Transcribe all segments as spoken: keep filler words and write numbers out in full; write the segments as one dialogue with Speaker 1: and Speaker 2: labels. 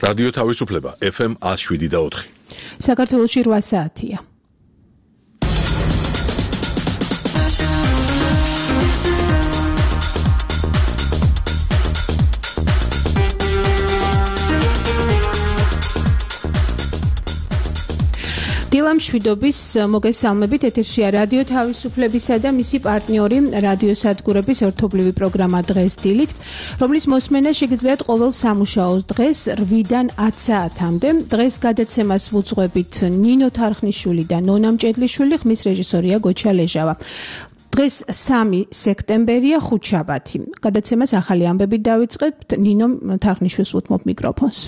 Speaker 1: რადიო თავისუფლება ეფ ემ one oh seven და four.
Speaker 2: საქართველოში რვა საათია. დილა მშვიდობის მოგესალმებით ეთერშია რადიო თავისუფლებისა და მისი პარტნიორი რადიო სადგურების ერთობლივი პროგრამა დღეს დილით, რომლის მოსმენა შეგიძლიათ ყოველ სამუშაო დღეს რვიდან ათ საათამდე. დღეს გადაცემას ვუძღვებით ნინო თარხნიშვილი და ნონა მჭედლიშვილი, ხმის რეჟისორია გოჩა ლეჟავა. დღეს სამი სექტემბერია, ხუთშაბათი. გადაცემას ახალი ამბებით დავიწყებთ. ნინო თარხნიშვილს უთმობ მიკროფონს.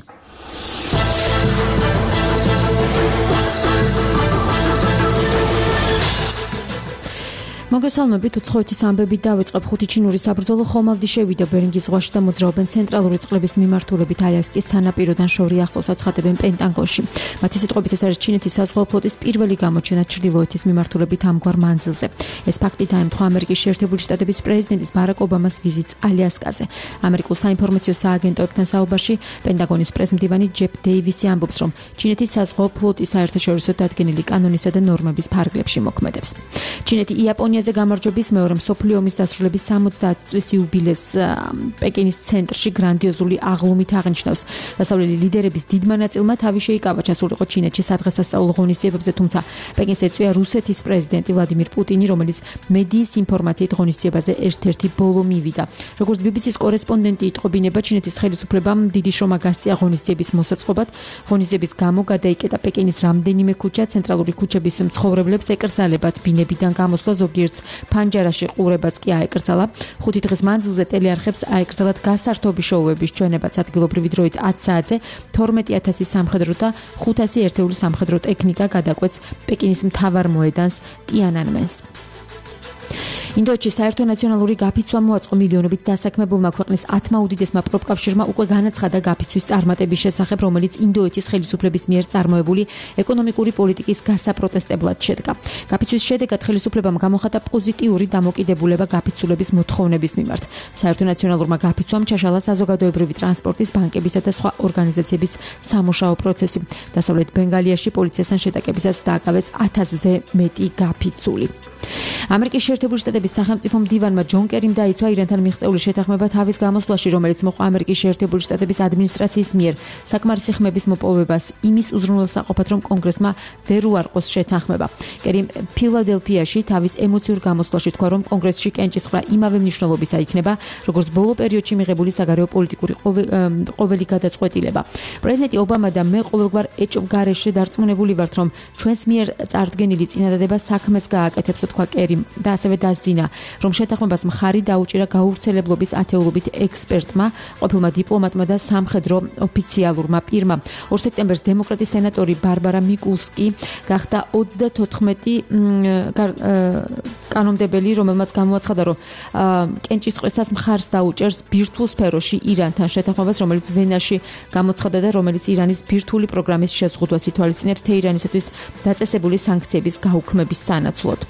Speaker 2: მოგესალმებით, უცხოეთის ამბებით დავიწყებ. ხუთი ჩინური საბრძოლო ხომალდი შევიდა ბერინგის ზღვაში და მოძრაობენ ცენტრალური წყლების მიმართულებით ალიასკის სანაპიროდან შორი ახლოს აცხადებენ პენტაგონში. მათი სიტყვებით ეს არის ჩინეთის საზღვაო ფლოტის პირველი გამოჩენა ჩრდილოეთის მიმართულებით ამგვარ მანძილზე. ეს ფაქტი დაემთხვა ამერიკის შეერთებული შტატების პრეზიდენტის ბარაკ ობამას ვიზიტს ალიასკაზე. ამერიკულ საინფორმაციო სააგენტოებთან საუბარში პენტაგონის პრესმდივანი ჯეფ დეივისი ამბობს, რომ ჩინეთის საზღვაო ფლოტი საერთაშორისო დადგენილი კანონისა და ნორმების ფარგლებში მოქმედებს. ჩინეთი იაპონია გამარჯვების მეორე მსოფლიო ომის დასრულების სამოცდაათი წლის იუბილეს პეკინის ცენტრში გრანდიოზული აღლუმით აღნიშნავს. დასავლელი ლიდერების დიდმა ნაწილმა თავი შეიკავა ჩასულიყო ჩინეთში სადღესასწაულო ღონისძიებებზე, თუმცა პეკინს ეწვია რუსეთის პრეზიდენტი ვლადიმირ პუტინი, რომელიც მედიის ინფორმაციით ღონისძიებაზე ერთ-ერთი ბოლო მივიდა. როგორც ბი ბი სის კორესპონდენტი იტყობინება, ჩინეთის ხელისუფლებამ დიდი შრომა გასწია ღონისძიების მოსაწყობად. ღონისძიების გამო გადაიკეტა პეკინის რამდენიმე ქუჩა, ცენტრალური ქუჩების მცხოვრებლებს ეკრძალებათ ბინებიდან გამოსვლა, ზოგიერთ ფანჯარაში ყურებაც კი აეკრძალა. ხუთი დღის მანძილზე ტელეარხებს აეკრძალათ გასართობი შოუების ჩვენებაც ადგილობრივი დროით ათ საათზე თორმეტი ათასი სამხედრო და ხუთასი ერთეული სამხედრო ტექნიკა გადაკვეთს პეკინის მთავარ მოედანს ტიანანმენს. ინდოეთში საერთო ნაციონალური გაფიცვა მოაწყო. მილიონობით დასაქმებულმა ქვეყნის ათმა უდიდესმა პროფკავშირმა უკვე განაცხადა გაფიცვის წარმატების შესახებ, რომელიც ინდოეთის ხელისუფლების მიერ წარმოებული ეკონომიკური პოლიტიკის გასაპროტესტებლად შედგა. გაფიცვის შედეგად ხელისუფლებამ გამოხატა პოზიტიური დამოკიდებულება გაფიცულების მოთხოვნების მიმართ. საერთო ნაციონალურმა გაფიცვამ ჩაშალა საზოგადოებრივი ტრანსპორტის, ბანკებისა და სხვა ორგანიზაციების სამუშაო პროცესი. დასავლეთ ბენგალიაში პოლიციასთან შეტაკებისას დააკავეს ათასზე მეტი გაფიცული. ამერიკის შეერთებული შტატების სახელმწიფო მდივანმა ჯონ კერიმ დაიცვა ირანთან მიღწეული შეთანხმება თავის გამოსვლაში, რომელიც მოყვა ამერიკის შეერთებული შტატების ადმინისტრაციის მიერ საკმარისი ხმების მოპოვებას იმის უზრუნველსაყოფად, რომ კონგრესმა ვერ უარყოს შეთანხმება. კერიმ ფილადელფიაში თავის ემოციურ გამოსვლაში თქვა, რომ კონგრესში კენჭისყრა იმავე მნიშვნელობისა იქნება, როგორც ბოლო პერიოდში მიღებული საგარეო პოლიტიკური ყოველი გადაწყვეტილება. პრეზიდენტი ობამა და მე ყოველგვარ ეჭვ გარეშე დარწმუნებული ვართ, რომ ჩვენს მიერ წარდგენილი წინადადება საქმეს გააკეთებს, თქვა კერიმ და ასევე დასძინა, რომ შეთანხმებას მხარი დაუჭირა გაურცელებლობის ათეულობით ექსპერტმა, ყოფილმა დიპლომატმა და სამხედრო ოფიციალურმა პირმა. ორ სექტემბერს დემოკრატი სენატორი ბარბარა მიკულსკი გახდა ოცდათოთხმეტი კანონმდებელი, რომელმაც გამოაცხადა, რომ კენჭისყრისას მხარს დაუჭერს ბირთვულ სფეროში ირანთან შეთანხმებას, რომელიც ვენაში გამოცხადა და რომელიც ირანის ბირთვული პროგრამის შეზღუდვას ითვალისწინებს თეირანისათვის დაწესებული სანქციების გაუქმების სანაცვლოდ.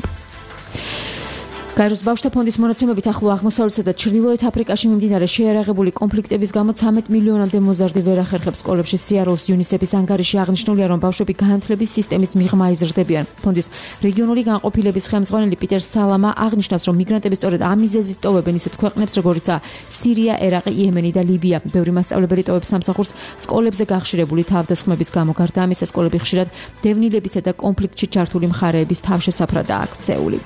Speaker 2: გაეროს ბავშვთა ფონდის მონაცემებით ახლო აღმოსავლეთსა და ჩრდილოეთ აფრიკაში მიმდინარე შეიარაღებული კონფლიქტების გამო ცამეტ მილიონამდე მოზარდი ვერ ახერხებს სკოლებში. სიაროლის იუნისეფის ანგარიში აღნიშნულია, რომ ბავშვები განათლების სისტემის მიღმა იზრდებიან. ფონდის რეგიონული განყოფილების ხელმძღვანელი პიტერ სალამა აღნიშნავს, რომ მიგრანტები სწორედ ამ მიზეზით ტოვებენ ისეთ ქვეყნებს, როგორიცაა სირია, ერაყი, იემენი და ლიბია. ბევრი მასწავლებელი ტოვებს სამსახურს სკოლებზე გახშირებული თავდასხმების გამო. გარდა ამისა, სკოლები ხშირად დევნილებისა და კონფლიქტში ჩართული მხარეების თავშესაფრადაა აქცეული.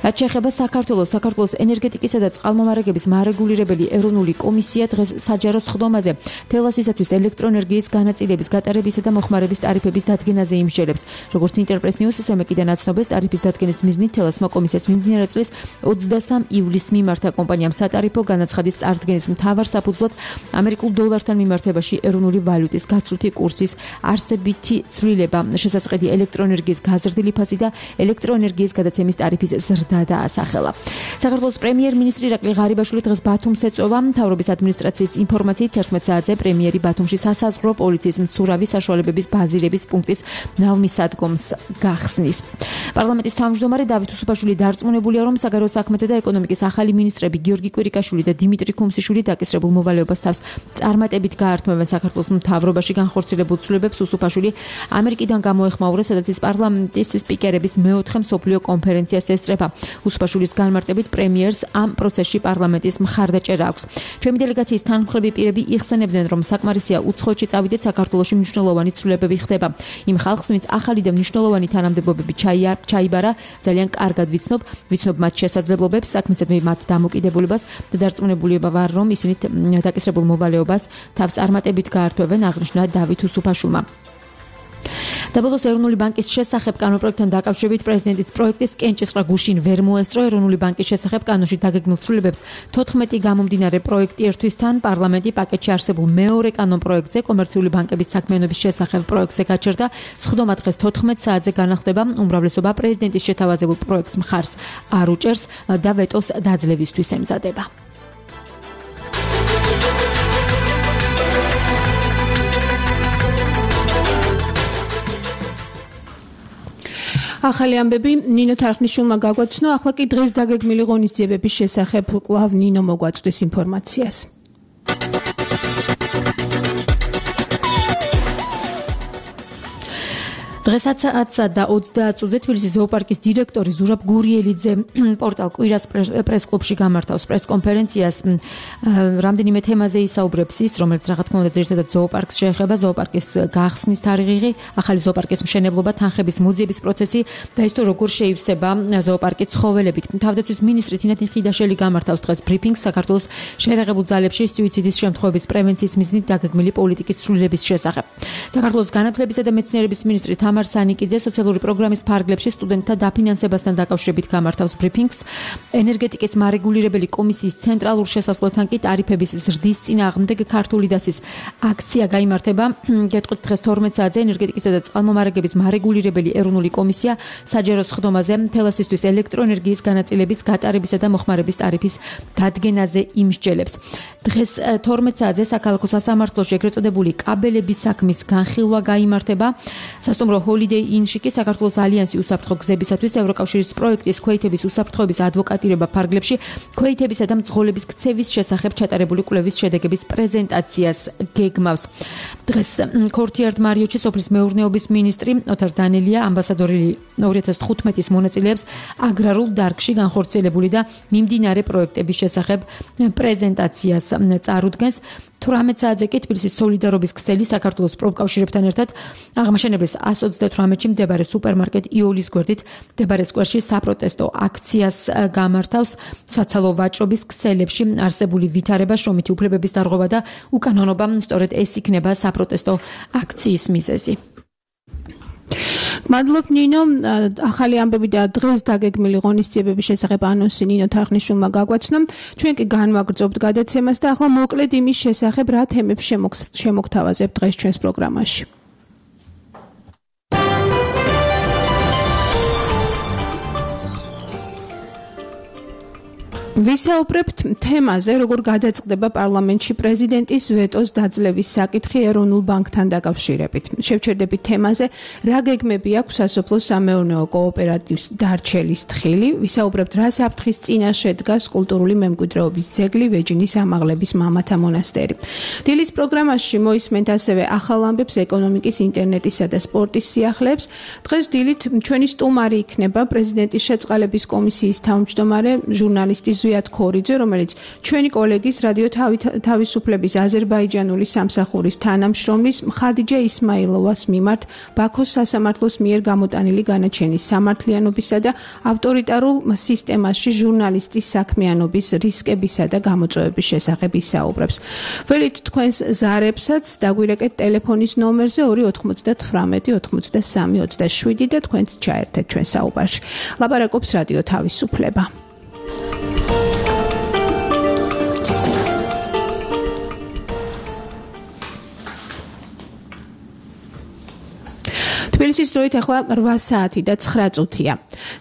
Speaker 2: რაც შეეხება საქართველოს, საქართველოს ენერგეტიკისა და წყალმომარაგების მარეგულირებელი ეროვნული კომისია დღეს საჯარო სხდომაზე თელასისათვის ელექტროენერგიის განაწილების გატარებისა და მოხმარების ტარიფების დადგენაზე იმსჯელებს. როგორც ინტერპრეს ნიუსის ემეკიდან აცნობს, ტარიფის დადგენის მიზნით თელასმა კომისიას მიმდინარე წლის ოცდასამ ივლისს მიმართა კომპანიამ სატარიფო განაცხადის წარდგენის მთავარ საფუძვლად ამერიკულ დოლართან მიმართებაში ეროვნული ვალუტის გაცვლითი კურსის არსებითი ცვლილება, შესაძყედი ელექტროენერგიის გაზრდილი ფასი და ელექტროენერგიის გადაცემის ტარიფის ზრდა ზრდა დაასახელა. საქართველოს პრემიერ-მინისტრი ირაკლი ღარიბაშვილი დღეს ბათუმს ეწვევა. მთავრობის ადმინისტრაციის ინფორმაციით თერთმეტ საათზე პრემიერი ბათუმში სასაზღვრო პოლიციის მცურავი საშუალებების ბაზირების პუნქტის ნავმისადგომს გახსნის. პარლამენტის თავმჯდომარე დავით უსუფაშვილი დარწმუნებულია, რომ საგარეო საქმეთა და ეკონომიკის ახალი მინისტრები გიორგი კვირიკაშვილი და დიმიტრი ქუმსიშვილი დაკისრებულ მოვალეობას თავს წარმატებით გაართმევენ საქართველოს მთავრობაში განხორციელებულ ცვლილებებს. უსუფაშვილი ამერიკიდან გამოეხმაურა, სადაც ის პარლამენტის სპიკერების მეოთხე მსოფლიო კონფერენციას ესწრება. უსუფაშვილის განმარტებით პრემიერს ამ პროცესში პარლამენტის მხარდაჭერა აქვს. ჩემი დელეგაციის თანმხლები პირები იხსენებდნენ, რომ საკმარისია უცხოეთში წავიდეთ, საქართველოში მნიშვნელოვანი ცვლილებები ხდება. იმ ხალხს, ვინც ახალი და მნიშვნელოვანი თანამდებობები ჩაიბარა, ძალიან კარგად ვიცნობ, ვიცნობ მათ შესაძლებლობებს, საქმესადმი მათ დამოკიდებულებას და დარწმუნებული ვარ, რომ ისინი დაკისრებულ მოვალეობას თავს წარმატებით გაართმევენ, აღნიშნა დავით უსუფაშვილმა. დაბოლოს ეროვნული ბანკის შესახებ კანონპროექტთან დაკავშირებით პრეზიდენტის პროექტის კენჭისყრა გუშინ ვერ მოესწრო. ეროვნული ბანკის შესახებ კანონში დაგეგმილ ცვლილებებს თოთხმეტი გამომდინარე პროექტი ერთვისთან პარლამენტი პაკეტში არსებულ მეორე კანონპროექტზე კომერციული ბანკების საქმიანობის შესახებ პროექტზე გაჩერდა. სხდომა დღეს თოთხმეტ საათზე განახლდება. უმრავლესობა პრეზიდენტის შეთავაზებულ პროექტს მხარს არ უჭერს და ვეტოს დაძლევისთვის ემზადება.
Speaker 3: ახალი ამბები ნინო თარხნიშვილმა გაგვაცნო. ახლა კი დღეს დაგეგმილი ღონისძიებების შესახებ კვლავ ნინო მოგვაწვდის ინფორმაციას. დღესაც და ოცდაათ წუთზე თბილისის ზოოპარკის დირექტორი ზურაბ გურიელიძე პორტალ კვირას პრეს-კლუბში გამართავს პრეს-კონფერენციას. რამდენიმე თემაზე ისაუბრებს ის, რომელიც რა თქმა უნდა ძირითადად ზოოპარკს შეეხება, ზოოპარკის გახსნის თარიღი, ახალი ზოოპარკის მშენებლობა, თანხების მოძიების პროცესი და ის თუ როგორ შეივსება ზოოპარკი ცხოველებით. თავდაცვის მინისტრი თინათინ ხიდაშელი გამართავს დღეს ბრიფინგს საქართველოს შეერაღებულ ძალებში სუიციდის შემთხვევების პრევენციის მიზნით დაგეგმილი პოლიტიკის ცვლილების შესახებ. საქართველოს განათლებისა და მეცნიერების მინისტრი თამარ სანიკიძე სოციალური პროგრამის ფარგლებში სტუდენტთა დაფინანსებასთან დაკავშირებით გამართავს ბრიფინგს. ენერგეტიკის მარეგულირებელი კომისიის ცენტრალურ შესასვლელთან კი ტარიფების ზრდის წინააღმდეგ ქართული დასის აქცია გაიმართება. გეტყვით დღეს თორმეტ საათზე ენერგეტიკისა და წყალმომარაგების მარეგულირებელი ეროვნული კომისია საჯარო სხდომაზე თელასისთვის ელექტროენერგიის განაწილების გატარებისა და მოხმარების ტარიფის დადგენაზე იმსჯელებს. დღეს თორმეტ საათზე საქალაქო სასამართლოში ეგრეთ წოდებული კაბელების საქმის განხილვა გაიმართება. სასტუმრო Holiday Inn-ში კი საქართველოს ალიანსი უსაფრთხო გზებისათვის ევროკავშირის პროექტის ქვეითების უსაფრთხოების ადვოკატირება ფარგლებში ქვეითებისა და მძღოლების ქცევის შესახებ ჩატარებული კვლევის შედეგების პრეზენტაციას გეგმავს. დღეს ქორთიარდ მარიოჩი სოფლის მეურნეობის მინისტრი ოთარ დანელია ამბასადორი ორი ათას თხუთმეტის მონაწილეებს აგრარულ დარგში განხორციელებული და მიმდინარე პროექტების შესახებ პრეზენტაციას წარუდგენს. თვრამეტ საათზე კი თბილისის სოლიდარობის ქსელი საქართველოს პროფკავშირებთან ერთად აღმაშენებლის ას ოცდათვრამეტში მდებარე სუპერმარკეტ იოლის გვერდით მდებარე სკვერში საპროტესტო აქციას გამართავს. საცალო ვაჭრობის ქსელებში არსებული ვითარება, შრომითი უფლებების დარღვევა და უკანონობა, სწორედ ეს იქნება საპროტესტო აქციის მიზეზი. მადლობ ნინო. ახალი ამბები და დღეს დაგეგმილი ღონისძიებების შესახებ ანონსი ნინო თარხნიშვილმა გაგვაცნო. ჩვენ კი განვაგრძობთ გადაცემას და ახლა მოკლედ იმის შესახებ რა თემებს შემოგთავაზებთ დღეს ჩვენს პროგრამაში. ვისაუბრებთ თემაზე, როგორ გადაწყდება პარლამენტში პრეზიდენტის ვეტოს დაძლევის საკითხი ეროვნულ ბანკთან დაკავშირებით. შევჩერდებით თემაზე, რა გეგმები აქვს სასოფლო სამეურნეო კოოპერატივს დარჩელის თხილი. ვისაუბრებთ, რა საფრთხის წინაშე დგას კულტურული მემკვიდრეობის ძეგლი ვეჯინის ამაღლების მამათა მონასტერი. დილის პროგრამაში მოისმენთ ასევე ახალ ამბებს ეკონომიკის, ინტერნეტისა და სპორტის სიახლეებს. დღეს დილით ჩვენი სტუმარი იქნება პრეზიდენტის შეწყალების კომისიის თავმჯდომარე ჟურნალისტი ზვიად ქორიძე, რომელიც ჩვენი კოლეგის რადიო თავისუფლების აზერბაიჯანული სამსახურის თანამშრომლის ხადიჯა ისმაილოვას მიმართ ბაქოს სასამართლოს მიერ გამოტანილი განაჩენის სამართლიანობისა და ავტორიტარულ სისტემაში ჟურნალისტის საქმიანობის რისკებისა და გამოწვევების შესახებ ისაუბრებს. ველით თქვენს ზარებსაც დაგვირეკეთ ტელეფონის ნომერზე ორი ოთხმოცდათვრამეტი ოცდასამი ოცდაშვიდი და თქვენც ჩაერთეთ ჩვენ საუბარში. ლაპარაკობს რადიო თავისუფლება.
Speaker 4: თბილისის დროით ახლა რვა საათი და ცხრა წუთია.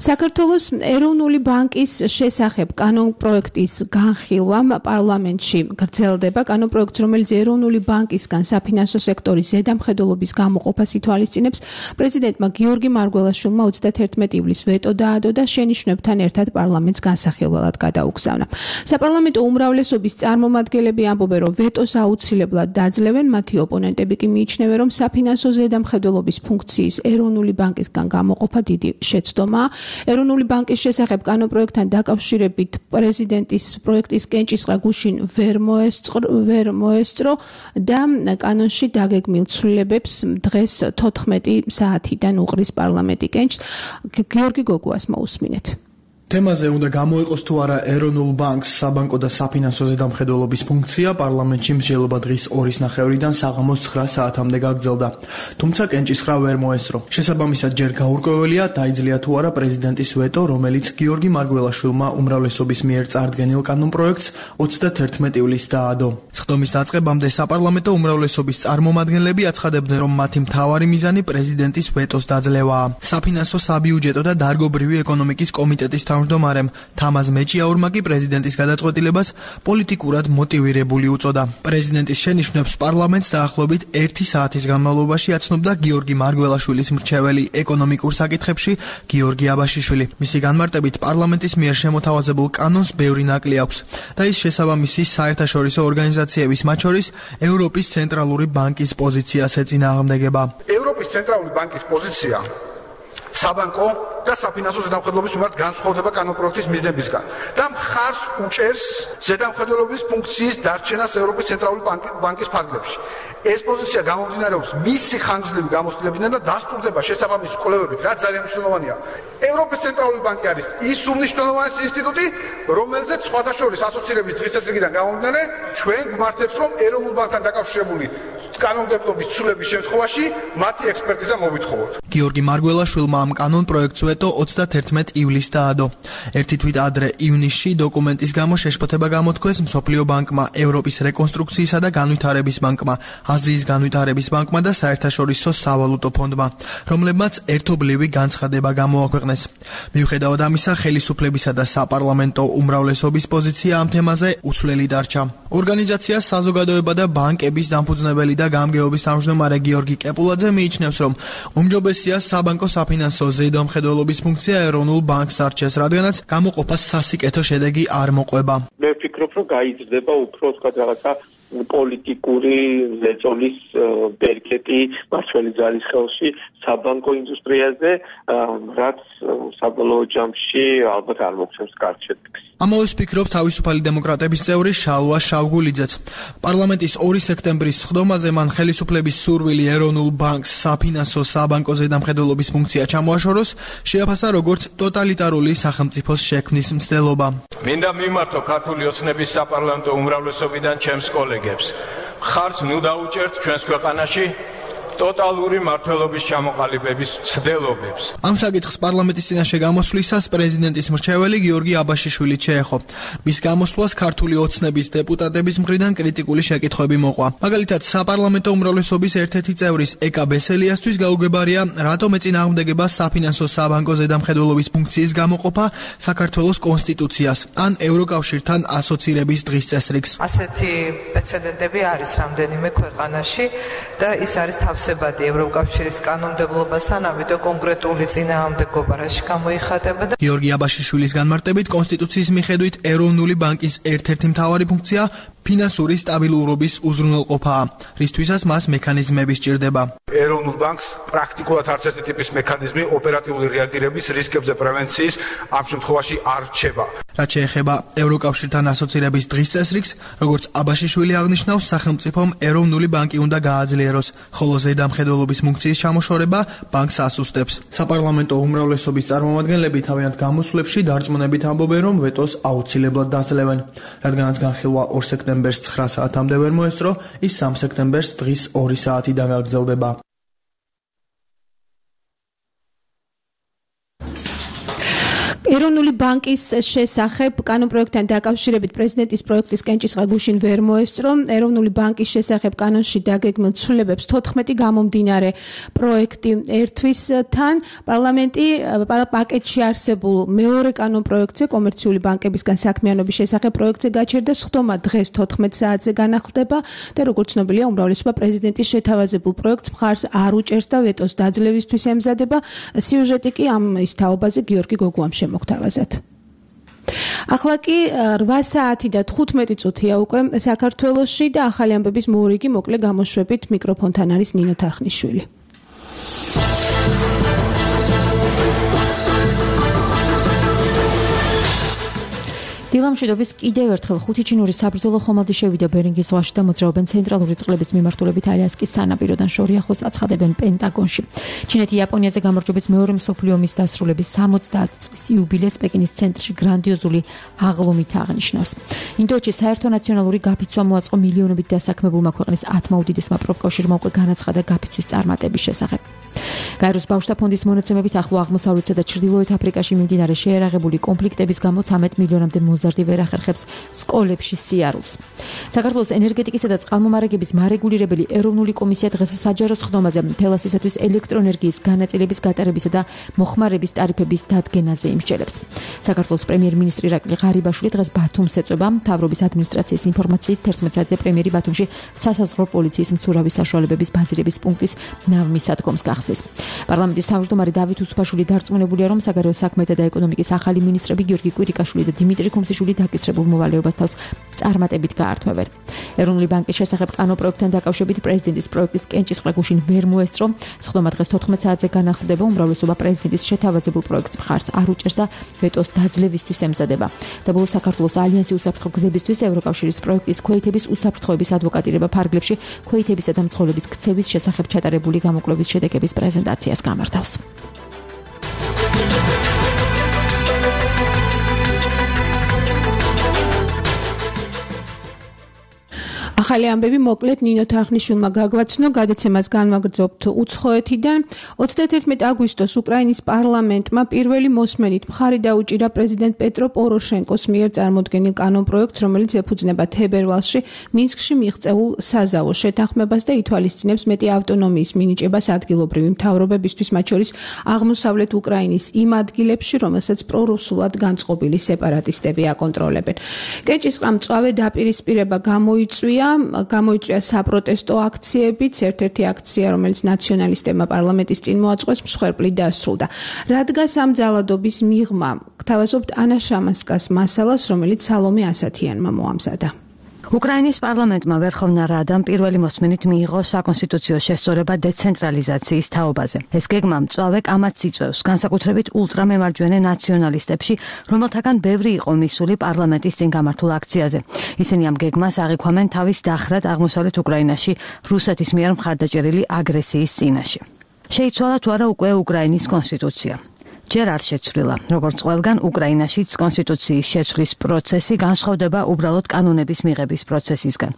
Speaker 4: საქართველოს ეროვნული ბანკის შესახებ კანონპროექტის განხილვა პარლამენტში გრძელდება. კანონპროექტს, რომელიც ეროვნული ბანკისგან საფინანსო სექტორის ზედამხედველობის გამოყოფას ითვალისწინებს, პრეზიდენტმა გიორგი მარგველაშვილმა ოცდათერთმეტი ივლისს ვეტო დაადო და შენიშვნებთან ერთად პარლამენტს განსახილველად გადაუგზავნა. საპარლამენტო უმრავლესობის წარმომადგენლები ამბობენ, რომ ვეტოს აუცილებლად დაძლევენ, მათი ოპონენტები კი მიიჩნევენ, რომ საფინანსო ზედამხედველობის ფუნქციის ეროვნული ბანკისგან გამოყოფა დიდი შეცდომაა. ეროვნული ბანკის შესახებ კანონპროექტთან დაკავშირებით პრეზიდენტის პროექტის კენჭისყრა გუშინ ვერ ვერ მოესწრო და კანონში დაგეგმილ ცვლილებებს დღეს თოთხმეტი საათიდან უყრის პარლამენტი კენჭს. გიორგი გოგუას მოусმინეთ.
Speaker 5: თემაზე უნდა გამოიყოს თუ არა ეროვნულ ბანკს საბანკო და საფინანსო ზედამხედველობის ფუნქცია, პარლამენტში მსჯელობა დღის ორის ნახევრიდან საღამოს ცხრა საათამდე გაგრძელდა. თუმცა კენჭისყრა ვერ მოესწრო. შესაბამისად ჯერ გაურკვეველია, დაიძლია თუ არა პრეზიდენტის ვეტო, რომელიც გიორგი მარგველაშვილმა უმრავლესობის მიერ წარდგენილ კანონპროექტს ოცდათერთმეტი ივლისს დაადო. სხდომის დაწყებამდე საპარლამენტო უმრავლესობის წარმომადგენლები აცხადებდნენ, რომ მათი მთავარი მიზანი პრეზიდენტის ვეტოს დაძლევაა. საფინანსო, საბიუჯეტო და დარგობრივი ეკონომიკის კომიტეტის თავმჯდომარემ თამაზ მეჭიაურმა კი პრეზიდენტის გადაწყვეტილებას პოლიტიკურად მოტივირებული უწოდა. პრეზიდენტის შენიშვნებს პარლამენტს დაახლოებით ერთი საათის განმავლობაში აცნობდა გიორგი მარგველაშვილის მრჩეველი ეკონომიკურ საკითხებში გიორგი აბაშიშვილი. მისი განმარტებით პარლამენტის მიერ შემოთავაზებულ კანონს ბევრი ნაკლი აქვს და ის შესაბამისი საერთაშორისო ორგანიზაციების, მათ შორის ევროპის ცენტრალური ბანკის პოზიციას ეწინააღმდეგება.
Speaker 6: ევროპის ცენტრალური ბანკის პოზიცია საბანკო და საფინანსო ზედამხედველობის მიმართ განსხვავდება კანონპროექტის მიზნებისგან და მხარს უჭერს ზედამხედველობის ფუნქციის დარჩენას ევროპის ცენტრალური ბანკის ფარგლებში. ეს პოზიცია გამომდინარეობს მისი ხანგრძლივი გამოცდილებიდან და დასტურდება შესაბამისი კვლევებით, რაც ძალიან მნიშვნელოვანია. ევროპის ცენტრალური ბანკი არის ის უმნიშვნელოვანესი ინსტიტუტი, რომელზეც სხვათა შორის ასოცირების დღის წესრიგიდან გამომდინარე ჩვენ გვმართებს, რომ ეროვნულ ბანკთან დაკავშირებული კანონმდებლობის ცვლილების შემთხვევაში მათი ექსპერტიზა მოვითხოვოთ.
Speaker 5: გიორგი მარგველაშვილმა ამ კანონპროექტს ვეტო ოცდათერთმეტი ივლისს დაადო. ერთი თვით ადრე ივნისში დოკუმენტის გამო შეშფოთება გამოთქვეს მსოფლიო ბანკმა, ევროპის რეკონსტრუქციისა და განვითარების ბანკმა, აზიის განვითარების ბანკმა და საერთაშორისო სავალუტო ფონდმა, რომლებმაც ერთობლივი განცხადება გამოაქვეყნეს. მიუხედავად ამისა, ხელისუფლებისა და საპარლამენტო უმრავლესობის პოზიცია ამ თემაზე უცვლელი დარჩა. ორგანიზაცია საზოგადოება და ბანკების დამფუძნებელი და გამგეობის თავმჯდომარე გიორგი კეპულაძე მიიჩნევს, რომ უმჯობესია საბანკო საფინანსო ზედამხედველობის ფუნქცია ეროვნულ ბანკს დარჩეს, რადგანაც გამოყოფას სასიკეთო შედეგი არ მოყვება.
Speaker 7: მე ვფიქრობ, რომ გაიზრდება უფრო თქვა რაღაცა პოლიტიკური ზეწოლის ბერკეტი მართველი ძალის ხელში საბანკო ინდუსტრიაზე, რაც საბოლოო ჯამში ალბათ არ მოგცემს კარგ შედეგს.
Speaker 5: ამავეს ფიქრობს თავისუფალი დემოკრატების წევრი შალვა შავგულიძეც. პარლამენტის ორი სექტემბრის სხდომაზე მან ხელისუფლების სურვილი ეროვნულ ბანკს საფინანსო საბანკო ზედამხედველობის ფუნქცია ჩამოაშოროს, შეაფასა როგორც ტოტალიტარული სახელმწიფოს შექმნის მცდელობა.
Speaker 8: მინდა მიმართო ქართული ოცნების საპარლამენტო უმრავლესობიდან ჩემს კოლეგებს. ხარს ნუ დაუჭერთ ჩვენს ქვეყანაში ტოტალური მართლობის ჩამოყალიბების ცდილობებს.
Speaker 5: ამ საკითხს პარლამენტის წინაშე გამოსვლისას პრეზიდენტის მრჩეველი გიორგი აბაშიშვილი შეეხო. მის გამოსვლას ქართული ოცნების დეპუტატების მხრიდან კრიტიკული შეკითხვები მოყვა. მაგალითად, საპარლამენტო უმრავლესობის ერთ-ერთი წევრის ეკა ბესელიასთვის გაუგებარია, რატომ ეწინააღმდეგება საფინანსო საბანკო ზედამხედველობის ფუნქციის გამოყოფა საქართველოს კონსტიტუციას ან ევროკავშირთან ასოცირების დღის წესრიგს.
Speaker 9: ასეთი პრეცედენტები არის რამდენიმე ქვეყანაში და ის არის თავს ევროკავშირის კანონმდებლობასთან, ამიტომ კონკრეტული წინააღმდეგობა რაში გამოიხატება და
Speaker 5: გიორგი აბაშიშვილის განმარტებით კონსტიტუციის მიხედვით ეროვნული ბანკის ერთ-ერთი მთავარი ფუნქცია ფინანსური სტაბილურობის უზრუნველყოფაა, რისთვისაც მას მექანიზმები სჭირდება.
Speaker 6: ეროვნულ ბანკს პრაქტიკულად არც ერთი ტიპის მექანიზმი ოპერატიული რეაგირების რისკებზე პრევენციის ამ შემთხვევაში არ რჩება.
Speaker 5: რაც შეეხება ევროკავშირთან ასოცირების დღის წესრიგს, როგორც აბაშიშვილი აღნიშნავს, სახელმწიფომ ეროვნული ბანკი უნდა გააძლიეროს, ხოლო ზედამხედველობის ფუნქციის ჩამოშორება ბანკს ასუსტებს. საპარლამენტო უმრავლესობის წარმომადგენლები თავიანთ გამოსვლებში დარწმუნებით ამბობენ, რომ ვეტოს აუცილებლად დაძლევენ, რადგანაც განხილვა ორ სექტემბერს ცხრა საათამდე ვერ მოესწრო, ის სამ სექტემბერს დღის ორი საათიდან გაგრძელდება.
Speaker 4: ეროვნული ბანკის შესახებ კანონპროექტთან დაკავშირებით პრეზიდენტის პროექტის კენჭისყრა გუშინ ვერ მოესწრო. ეროვნული ბანკის შესახებ კანონში დაგეგმილ ცვლილებებს თოთხმეტი გამომდინარე პროექტი ერთვის თან. პარლამენტი პაკეტში არსებულ მეორე კანონპროექტზე კომერციული ბანკებისგან საქმიანობის შესახებ პროექტზე გაჩერდა სხდომა დღეს თოთხმეტ საათზე განახლდება და როგორც ცნობილია უმრავლესობა პრეზიდენტის შეთავაზებულ პროექტს მხარს არ უჭერს და ვეტოს დაძლევისთვის ემზადება. სიუჟეტი კი ამ ის თაობაზე გიორგი გოგუამ შემოგთავაზათ. ახლა კი რვა საათი და თხუთმეტი წუთია უკვე საქართველოში და ახალი ამბების მორიგი მოკლე გამოშვებით მიკროფონთან არის ნინო თარხნიშვილი.
Speaker 2: დილამშვიდობის კიდევ ერთხელ ხუთი ჩინური საბრძოლო ხომალდი შევიდა ბერინგის ზღვაში და მოძრაობენ ცენტრალური წყლების მიმართულებით ალიასკის სანაპიროდან შორი ახლოს აცხადებენ პენტაგონში. ჩინეთი იაპონიაზე გამარჯვების მეორე მსოფლიო ომის დასრულების სამოცდაათ წლის იუბილეს პეკინის ცენტრში გრანდიოზული აღლუმით აღნიშნავს. ინდოეთში საერთო ნაციონალური გაფიცვა მოაწყო მილიონობით დასაქმებულმა ქვეყნის ათმა უდიდესმა პროფკავშირმა უკვე განაცხადა გაფიცვის წარმატების შესახებ. გაეროს ბავშვთა ფონდის მონაცემებით ახლო აღმოსავლეთსა და ჩრდილოეთ აფრიკაში მიმდინარე შეერაღებული კონფლიქტების გამო ცამეტ მილიონამდე მოზარდი ვერ ახერხებს სკოლებში სიარულს. საქართველოს ენერგეტიკისა და წყალმომარაგების მარეგულირებელი ეროვნული კომისია დღეს საჯარო სხდომაზე თელასისათვის ელექტროენერგიის განაწილების გატარებისა და მოხმარების ტარიფების დადგენაზე იმსჯელებს. საქართველოს პრემიერ-მინისტრი ირაკლი ღარიბაშვილი დღეს ბათუმს ეწვება. მთავრობის ადმინისტრაციის ინფორმაციით თერთმეტ საათზე პრემიერი ბათუმში სასაზღვრო პოლიციის მცურავი საშუალებების ბაზირების პუნქტის ნავმისადგომს გახსნის. პარლამენტის თავმჯდომარე დავით უსუფაშვილი დარწმუნებულია, რომ საგარეო საქმეთა და ეკონომიკის ახალი მინისტრები გიორგი კვირიკაშვილი და დიმიტრი ქუმსიშვილი დაკისრებულ მოვალეობას თავს წარმატებით გაართმევენ. ეროვნული ბანკის შესახებ კანონპროექტთან დაკავშირებით პრეზიდენტის პროექტის კენჭისყრა გუშინ ვერ მოესწრო. სხდომა დღეს თოთხმეტ საათზე განახლდება. უმრავლესობა პრეზიდენტის შეთავაზებულ პროექტს მხარს არ უჭერს და ვეტოს დაძლევისთვის ემზადება. დაბოლოს საქართველოს ალიანსი უსაფრთხო გზებისთვის ევროკავშირის პროექტის ქვეითების უსაფრთხოების ადვოკატირება ფარგლებში ქვეითებისა და მძღოლების ქცევის შესახებ ჩატარებული გამოკვლევის შედეგების პრეზენტაციას გამართავს.
Speaker 4: ახალი ამბები მოკლედ ნინო თარხნიშვილმა გაგვაცნო, გადაცემას განვაგრძობთ უცხოეთიდან. ოცდაათერთმეტი აგვისტოს უკრაინის პარლამენტმა პირველი მოსმენით მხარი დაუჭირა პრეზიდენტ პეტრო პოროშენკოს მიერ წარმოდგენილ კანონპროექტს, რომელიც ეფუძნება თებერვალში მინსკში მიღწეულ საზავო შეთანხმებას და ითვალისწინებს მეტი ავტონომიის მინიჭებას ადგილობრივი მთავრობებისთვის, მათ შორის აღმოსავლეთ უკრაინის იმ ადგილებში, რომელსაც პრორუსულად განწყობილი სეპარატისტები აკონტროლებენ. კენჭისყრამ მწვავე დაპირისპირება გამოიწვია. გამოიწვია საპროტესტო აქციებიც, ერთ-ერთი აქცია, რომელიც ნაციონალისტებმა პარლამენტის წინ მოაწყვეს, მსხვერპლით დასრულდა. რადგან ამ ძალადობის მიღმა გთავაზობთ ანა შამასკას მასალას, რომელიც სალომე ასათიანმა მოამზადა.
Speaker 10: უკრაინის პარლამენტმა ვერხოვნა რადამ პირველი მოსმენით მიიღო საკონსტიტუციო შესწორება დეცენტრალიზაციის თაობაზე. ეს გეგმა მწვავე კამათს იწვევს, განსაკუთრებით ულტრამემარჯვენე ნაციონალისტებში, რომელთაგან ბევრი იყო მისული პარლამენტის წინ გამართულ აქციაზე. ისინი ამ გეგმას აღიქვამენ თავის დახრად აღმოსავლეთ უკრაინაში რუსეთის მიერ მხარდაჭერილი აგრესიის წინაშე. შეიცვალა თუ არა უკვე უკრაინის კონსტიტუცია. ჯერ არ შეცვლილა. როგორც ყველგან, უკრაინაშიც კონსტიტუციის შეცვლის პროცესი განსხვავდება უბრალოდ კანონების მიღების პროცესისგან.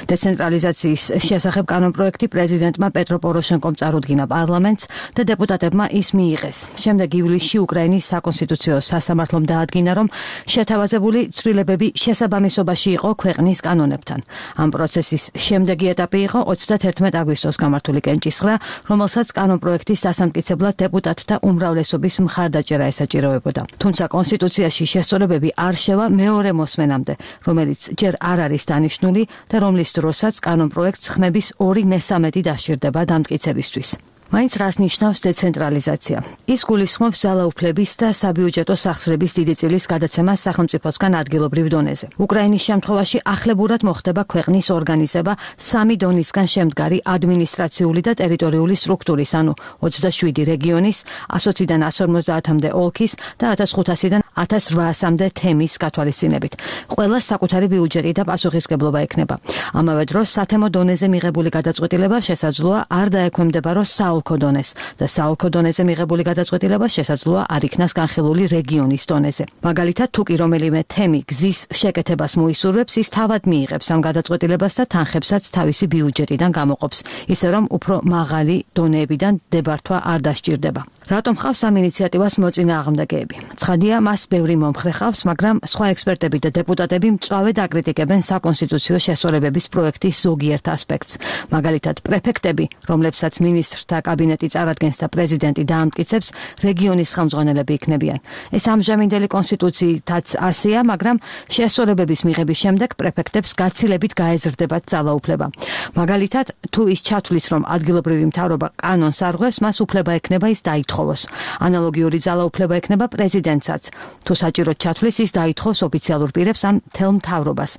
Speaker 10: დეცენტრალიზაციის შესახებ კანონპროექტი პრეზიდენტმა პეტრო პოროშენკომ წარუდგინა პარლამენტს და დეპუტატებმა ის მიიღეს. შემდეგ ივლისში უკრაინის საკონსტიტუციო სასამართლომ დაადგინა, რომ შეთავაზებული ცვლილებები შესაბამისობაში იყო ქვეყნის კანონებთან. ამ პროცესის შემდეგი ეტაპი იყო ოცდაათერთმეტი აგვისტოს გამართული კენჭისყრა, რომელსაც კანონპროექტის დასამტკიცებლად დეპუტატთა უმრავლესობის მხარდაჭერა ესაჭიროებოდა. თუმცა კონსტიტუციაში შესწორებები არ შევა მეორე მოსმენამდე, რომელიც ჯერ არ არის დანიშნული და რომლის დროსაც კანონპროექტს ხმების ორი მესამედი დასჭირდება დამტკიცებისთვის. მაინც რას ნიშნავს დეცენტრალიზაცია? ის გულისხმობს ძალაუფლების და საბიუჯეტო სახსრების დიდი წილის გადაცემას სახელმწიფოსგან ადგილობრივ დონეზე. უკრაინის შემთხვევაში ახლებურად მოხდება ქვეყნის ორგანიზება სამი დონისგან შემდგარი ადმინისტრაციული და ტერიტორიული სტრუქტურის, ანუ ოცდაშვიდი რეგიონის, ასოციდან ას ორმოცდაათამდე ოლქის და ათას ხუთასიდან ათას რვაასამდე თემის გათვალისწინებით. ყველა საკუთარი ბიუჯეტი და პასუხისგებლობა ექნება. ამავე დროს სათემო დონეზე მიღებული გადაწყვეტილება შესაძლოა არ დაექვემდებაროს საოლქო დონეს და საოლქო დონეზე მიღებული გადაწყვეტილება შესაძლოა არ იქნას განხილული რეგიონის დონეზე. მაგალითად, თუ კი რომელიმე თემი გზის შეკეთებას მოისურვებს, ის თავად მიიღებს ამ გადაწყვეტილებას და თანხებსაც თავისი ბიუჯეტიდან გამოყოფს, ისე რომ უფრო მაღალი დონეებიდან დებართვა არ დასჭირდება. რატომ ხავს ამ ინიციატივას მოწინააღმდეგეები? ცხადია, მას ბევრი მომხრე ხავს, მაგრამ სხვა ექსპერტები და დეპუტატები მწვავედ აკრიტიკებენ საკონსტიტუციო შესწორებების პროექტის ზოგიერთ ასპექტს. მაგალითად, პრეფექტები, რომლებსაც მინისტრთა კაბინეტი წარადგენს და პრეზიდენტი დაამტკიცებს, რეგიონის ხელმძღვანელები იქნებიან. ეს ამჟამინდელი კონსტიტუციითაც ასეა, მაგრამ შესწორებების მიღების შემდეგ პრეფექტებს გაცილებით გაეზრდებათ ძალაუფლება. მაგალითად, თუ ის ჩათვლის, რომ ადგილობრივი მთავრობა კანონს არ ღვევს, მას უფლება ექნება ის დაითხოვოს. ანალოგიური ძალაუფლება ექნება პრეზიდენტსაც. თუ საჭიროდ ჩათვლის, ის დაითხოვს ოფიციალურ პირებს ან მთელ მთავრობას.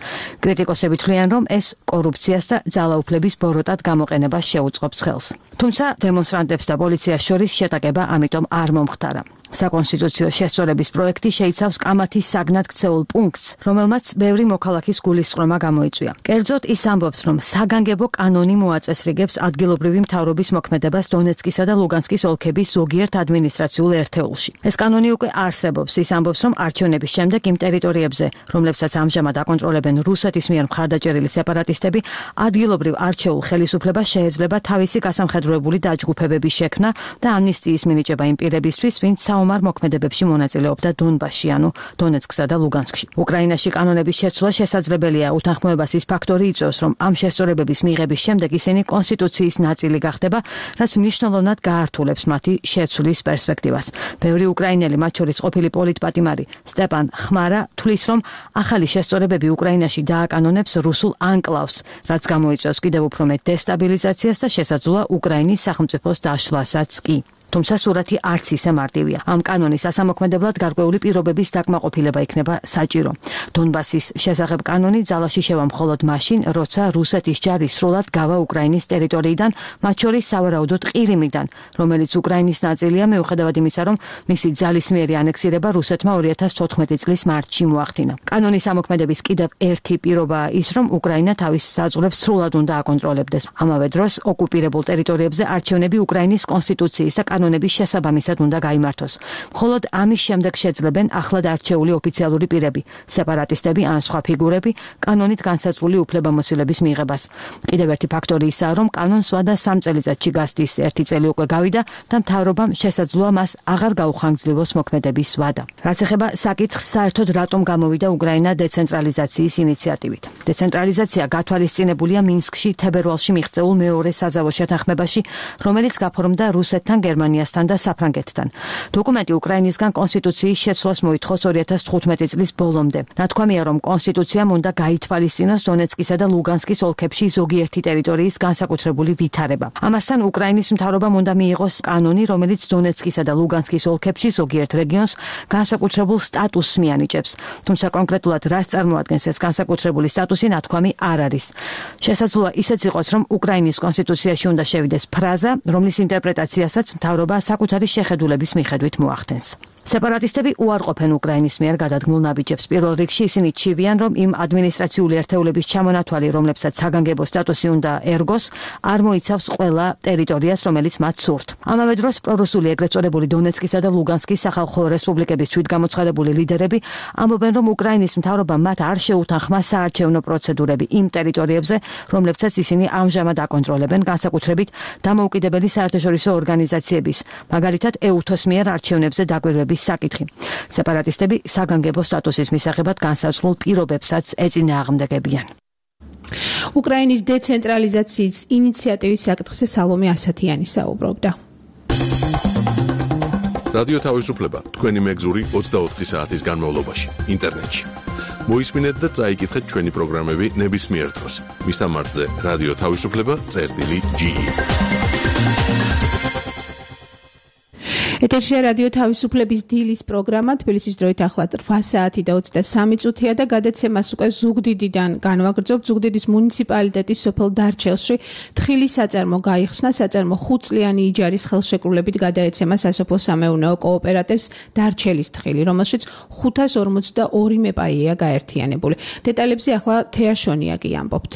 Speaker 10: კრიტიკოსები თვლიან, რომ ეს კორუფციას და ძალაუფლების ბოროტად გამოყენებას შეუწყობს ხელს. თუმცა დემონსტრანტებს და პოლიციას შორის შეტაკება ამიტომ არ მომხდარა. საკონსტიტუციო შესწორების პროექტი შეიცავს კამათის საგნად ქცეულ პუნქტს, რომელმაც ბევრი მოქალაქის გულისწყრომა გამოიწვია. კერძოდ ის ამბობს, რომ საგანგებო კანონი მოაწესრიგებს ადგილობრივი მთავრობის მოქმედებას დონეცკისა და ლუგანსკის ოლქების ზოგიერთ ადმინისტრაციულ ერთეულში. ეს კანონი უკვე არსებობს. ის ამბობს, რომ არჩევნების შემდეგ იმ ტერიტორიებზე, რომლებსაც ამჟამად აკონტროლებენ რუსეთის მიერ მხარდაჭერილი სეპარატისტები, ადგილობრივ არჩეულ ხელისუფლებას შეეძლება თავისი გასამხედროებული დაჯგუფებების შექმნა და ამნისტიის მინიჭება იმ პირებისთვის, ვინც საომარ მოქმედებებში მონაწილეობდა დონბასში, ანუ დონეცკსა და ლუგანსკში. უკრაინაში კანონების შეცვლა შესაძლებელია, უთანხმოებას ის ფაქტორი იწვევს, რომ ამ შესწორებების მიღების შემდეგ ისინი კონსტიტუციის ნაწილი გახდება, რაც მნიშვნელოვნად გაართულებს მათი შეცვლის პერსპექტივას. ბევრი უკრაინელი, მათ შორის ყოფილი პოლიტპატიმარი სტეპან ხმარა, თვლის, რომ ახალი შესწორებები უკრაინაში დააკანონებს რუსულ ანკლავს, რაც გამოიწვევს კიდევ უფრო მეტ დესტაბილიზაციას და შესაძლოა უკრაინის სახელმწიფოს დაშლასაც კი. თუმცა სურათი არც ისე მარტივია. ამ კანონის ასამოქმედებლად გარკვეული პირობების დაკმაყოფილება იქნება საჭირო. დონბასის შესახებ კანონი ძალაში შევა მხოლოდ მაშინ, როცა რუსეთის ჯარი სრულად გავა უკრაინის ტერიტორიიდან, მათ შორის სავარაუდოდ ყირიმიდან, რომელიც უკრაინის ნაწილია, მიუხედავად იმისა, რომ მისი ძალისმიერი ანექსირება რუსეთმა ორი ათას თოთხმეტი წლის მარტში მოახდინა. კანონის ამოქმედების კიდევ ერთი პირობაა ის, რომ უკრაინა თავის საზღვრებს სრულად უნდა აკონტროლებდეს. ამავე დროს ოკუპირებულ ტერიტორიებზე არჩევნები უკრაინის კონსტიტუციის და კანონების შესაბამისად უნდა გაიმართოს. მხოლოდ ამის შემდეგ შეძლებენ ახლად არჩეული ოფიციალური პირები, სეპარატისტები ან სხვა ფიგურები კანონით განსაზღვრული უფლებამოსილების მიღებას. კიდევ ერთი ფაქტორი ისაა, რომ კანონს ვადა სამ წელიწადში გასდის, ერთი წელი უკვე გავიდა და მთავრობამ შესაძლოა მას აღარ გაუხანგრძლივოს მოქმედების ვადა. რაც ეხება საკითხს, საერთოდ რატომ გამოვიდა უკრაინა დეცენტრალიზაციის ინიციატივით. დეცენტრალიზაცია გათვალისწინებულია მინსკში თებერვალში მიღწეულ მეორე საზავო შეთანხმებაში, რომელიც გაფორმდა რუსეთთან, გერმანიასთან და საფრანგეთთან. დოკუმენტი უკრაინისგან კონსტიტუციის შეცვლას მოითხოვს ორი ათას თხუთმეტი წლის ბოლომდე. ნათქვამია, რომ კონსტიტუციამ უნდა გაითვალისწინოს დონეცკისა და ლუგანსკის ოლქებში ზოგიერთი ტერიტორიის განსაკუთრებული ვითარება. ამასთან უკრაინის მთავრობამ უნდა მიიღოს კანონი, რომელიც დონეცკისა და ლუგანსკის ოლქებში ზოგიერთ რეგიონს განსაკუთრებულ სტატუსს მიანიჭებს. თუმცა კონკრეტულად რას წარმოადგენს ეს განსაკუთრებული სტატუსი, ნათქვამი არ არის. შესაძლოა ისეც იყოს, რომ უკრაინის კონსტიტუციაში უნდა შევიდეს ფრაზა, რომლის ინტერპრეტაციასაც მთავრობა საკუთარი შეხედულების მიხედვით მოახდენს. სეპარატისტები უარყოფენ უკრაინის მიერ გადადგმულ ნაბიჯებს. პირველ რიგში ისინი ჩივიან, რომ იმ ადმინისტრაციული ერთეულების ჩამონათვალი, რომლებსაც საგანგებო სტატუსი უნდა ერგოს, არ მოიცავს ყველა ტერიტორიას, რომელიც მათ სურთ. ამავე დროს პრორუსული ეგრეთ წოდებული დონეცკისა და ლუგანსკის სახალხო რესპუბლიკების თვითგამოცხადებული ლიდერები ამბობენ, რომ უკრაინის მთავრობამ მათ არ შეუთანხმა საარჩევნო პროცედურები იმ ტერიტორიებზე, რომლებსაც ისინი ამჟამად აკონტროლებენ, განსაკუთრებით დამოუკიდებელი საერთაშორისო ორგანიზაციების, მაგალითად ეუთოს მიერ არჩევნებზე დაკვირვების საკითხი. სეპარატისტები საგანგებო სტატუსის მისაღებად განსაზღვრულ პირობებსაც ეწინააღმდეგებიან.
Speaker 4: უკრაინის დეცენტრალიზაციის ინიციატივის საკითხზე სალომე ასათიანი საუბრობდა.
Speaker 1: რადიო თავისუფლება თქვენი მეგზური ოცდაოთხი საათის განმავლობაში ინტერნეტში. მოისმინეთ და წაიკითხეთ ჩვენი პროგრამები ნებისმიერ დროს. მისამართზე რადიო თავისუფლება წერტილი ჯი.
Speaker 4: ეთერშია რადიო თავისუფლების დილის პროგრამა, თბილისის დროით ახლა რვა საათი და ოცდასამი წუთია და გადაცემას უკვე ზუგდიდიდან განვაგრძობ. ზუგდიდის მუნიციპალიტეტის სოფელ დარჩელში თხილის საწარმო გაიხსნა. საწარმო ხუთწლიანი იჯარის ხელშეკრულებით გადაეცემა სასოფლო სამეურნეო კოოპერატივს დარჩელის თხილი, რომელშიც ხუთას ორმოცდაორი მეპაია გაერთიანებული. დეტალებზე ახლა თეაშონია კი ამბობთ.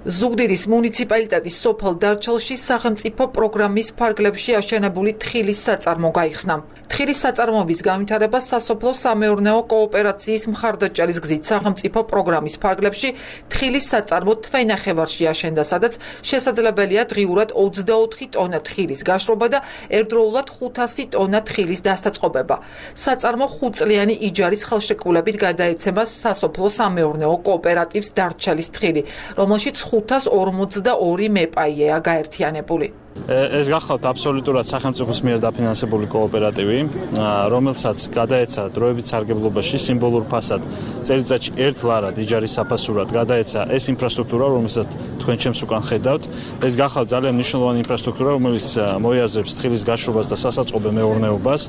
Speaker 11: ზუგდიდის მუნიციპალიტეტის სოფელ დარჩელში სახელმწიფო პროგრამის ფარგლებში აშენებული თხილის საწარმო გაიხსნა. თხილის საწარმოების განვითარება სასოფლო სამეურნეო კოოპერაციის მხარდაჭერის გზით სახელმწიფო პროგრამის ფარგლებში თხილის საწარმო თვენახევარში აშენდა, სადაც შესაძლებელია დღიურად ოცდაოთხი ტონა თხილის გაშრობა და ერთდროულად ხუთასი ტონა თხილის დასაწყობება. საწარმო ხუთწლიანი იჯარის ხელშეკრულებით გადაეცემა სასოფლო სამეურნეო კოოპერატივს დარჩალის თხილი, რომელშიც ხუთას ორმოცდაორი მეპაიეა გაერთიანებული.
Speaker 12: ეს გახლავთ აბსოლუტურად სახელმწიფოს მიერ დაფინანსებული კოოპერატივი, რომელსაც გადაეცა დროებით სარგებლობაში სიმბოლურ ფასად წელიწადში ერთ ლარად იჯარის საფასურად გადაეცა ეს ინფრასტრუქტურა, რომელსაც თქვენ ჩემს უკან ხედავთ. ეს გახლავთ ძალიან მნიშვნელოვანი ინფრასტრუქტურა, რომელიც მოიაზრებს თხილის გაშრობას და სასაწყობე მეურნეობას.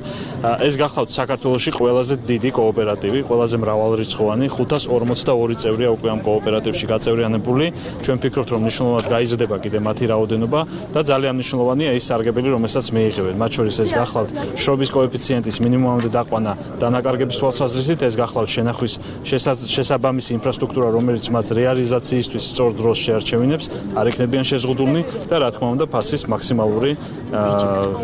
Speaker 12: ეს გახლავთ საქართველოში ყველაზე დიდი კოოპერატივი, ყველაზე მრავალრიცხოვანი, ხუთას ორმოცდაორი წევრია უკვე ამ კოოპერატივში გაწევრიანებული. ჩვენ ვფიქრობთ, რომ მნიშვნელოვნად გაიზრდება კიდე მათი რაოდენობა და ძალიან მნიშვნელოვანია ის სარგებელი, რომელსაც მიიღებენ. მათ შორის ეს გახლავთ შრობის კოეფიციენტის მინიმუმამდე დაყვანა დანაკარგების თვალსაზრისით, ეს გახლავთ შენახვის შესაბამისი ინფრასტრუქტურა, რომელიც მათ რეალიზაციისთვის სწორ დროს შეარჩევინებს, არ იქნებიან შეზღუდულნი და რა თქმა უნდა ფასის მაქსიმალური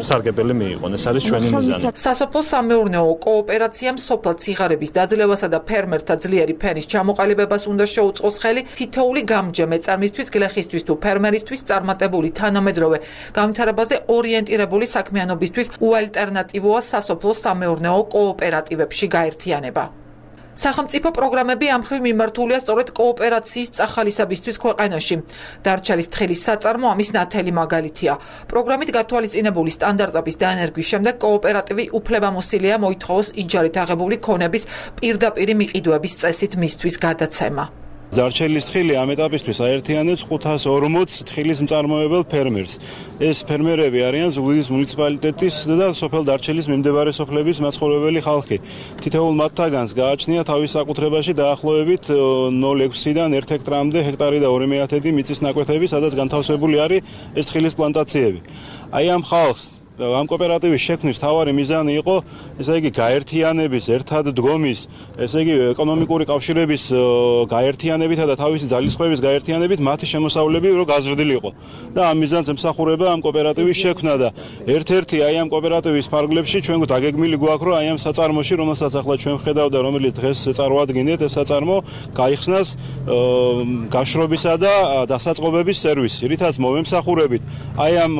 Speaker 12: სარგებელი მიიღონ. ეს არის ჩვენი მიზანი.
Speaker 11: სასოფლო სამეურნეო კოოპერაციამ სოფლად სიღარიბის დაძლევასა და ფერმერთა ძლიერი ფენის ჩამოყალიბებას უნდა შეუწყოს ხელი. თითოეული გამჯე მეწარმისთვის, გლეხისთვის თუ ფერმერისთვის წარმატებული თანამედროვე განვითარებაზე ორიენტირებული საქმიანობისთვის უალტერნატივოა სასოფლო სამეურნეო კოოპერატივებში გაერთიანება. სახელმწიფო პროგრამები ამ მხრივ მიმართულია სწორედ კოოპერაციის წახალისებისთვის ქვეყანაში. დარჩალის თხილის საწარმო ამის ნათელი მაგალითია. პროგრამით გათვალისწინებული სტანდარტების დაენერგვის შემდეგ კოოპერატივი უფლებამოსილია მოითხოვოს იჯარით აღებული ქონების პირდაპირი მიყიდვების წესით მისთვის გადაცემა.
Speaker 13: დარჩელის თხილი ამ ეტაპისთვის აერთიანებს ხუთას ორმოც თხილის მწარმოებელ ფერმერს. ეს ფერმერები არიან ზუგდიდის მუნიციპალიტეტის და სოფელ დარჩელის მიმდებარე სოფლების მაცხოვრებელი ხალხი. თითოეულ მათთაგანს გააჩნია თავის საკუთრებაში დაახლოებით ნულ ექვსიდან ერთ ჰექტარამდე ჰექტარი და ორი მეათედი მიწის ნაკვეთები, სადაც განთავსებული არის ეს თხილის პლანტაციები. აი ამ ხალხს ამ კოოპერატივის შექმნის თავარი მიზანი იყო, ესე იგი გაერთიანების, ერთად დგომის, ესე იგი ეკონომიკური კავშირების გაერთიანებითა და თავისი ძალისხმევის გაერთიანებით მათი შემოსავლები რო გაზრდილიყო. და ამ მიზანს ემსახურება ამ კოოპერატივის შექმნა და ერთ-ერთი აი ამ კოოპერატივის ფარგლებში ჩვენ დაგეგმილი გვაქვს, რომ აი ამ საწარმოში, რომელსაც ახლა ჩვენ ვხედავ და რომელიც დღეს წარვადგინეთ, ეს საწარმო გაიხსნას გაშრობისა და დასაწყობების სერვისი, რითაც მოვემსახურებით აი ამ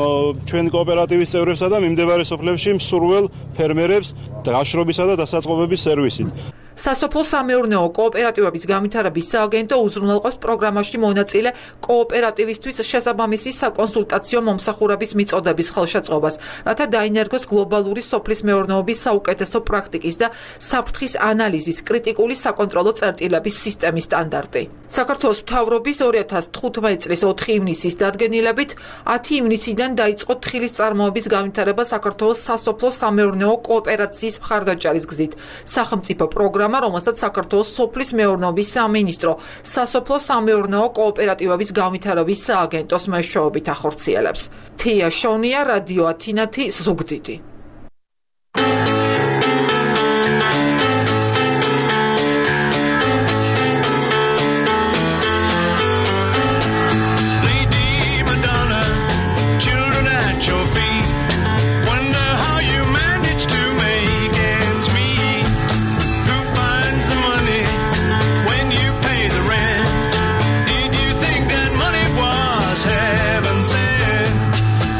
Speaker 13: ჩვენი კოოპერატივის წევრებს და მიმდებარე სოფლებში მსურველ ფერმერებს გაშრობისა და დასაწყობების სერვისით.
Speaker 11: სასოფლო სამეურნეო კოოპერატივების განვითარების სააგენტო უზრუნველყოფს პროგრამაში მონაწილე კოოპერატივისთვის შესაბამისი საკონსულტაციო მომსახურების მიწოდების ხელშეწყობას, რათა დაინერგოს გლობალური სოფლის მეურნეობის საუკეთესო პრაქტიკის და საფრთხის ანალიზის კრიტიკული საკონტროლო წერტილების სისტემის სტანდარტი. საქართველოს მთავრობის ორი ათას თხუთმეტი წლის ოთხი ივნისის დადგენილებით ათი ივნისიდან დაიწყო თხილის წარმოების განვითარება საქართველოს სასოფლო სამეურნეო კოოპერაციის მხარდაჭერის გზით. სახელმწიფო პროგრამა, რომელსაც საქართველოს სოფლის მეურნეობის სამინისტრო სასოფლო სამეურნეო კოოპერატივების განვითარების სააგენტოს მეშვეობით ახორციელებს. თია შონია, რადიო ათინათი, ზუგდიდი.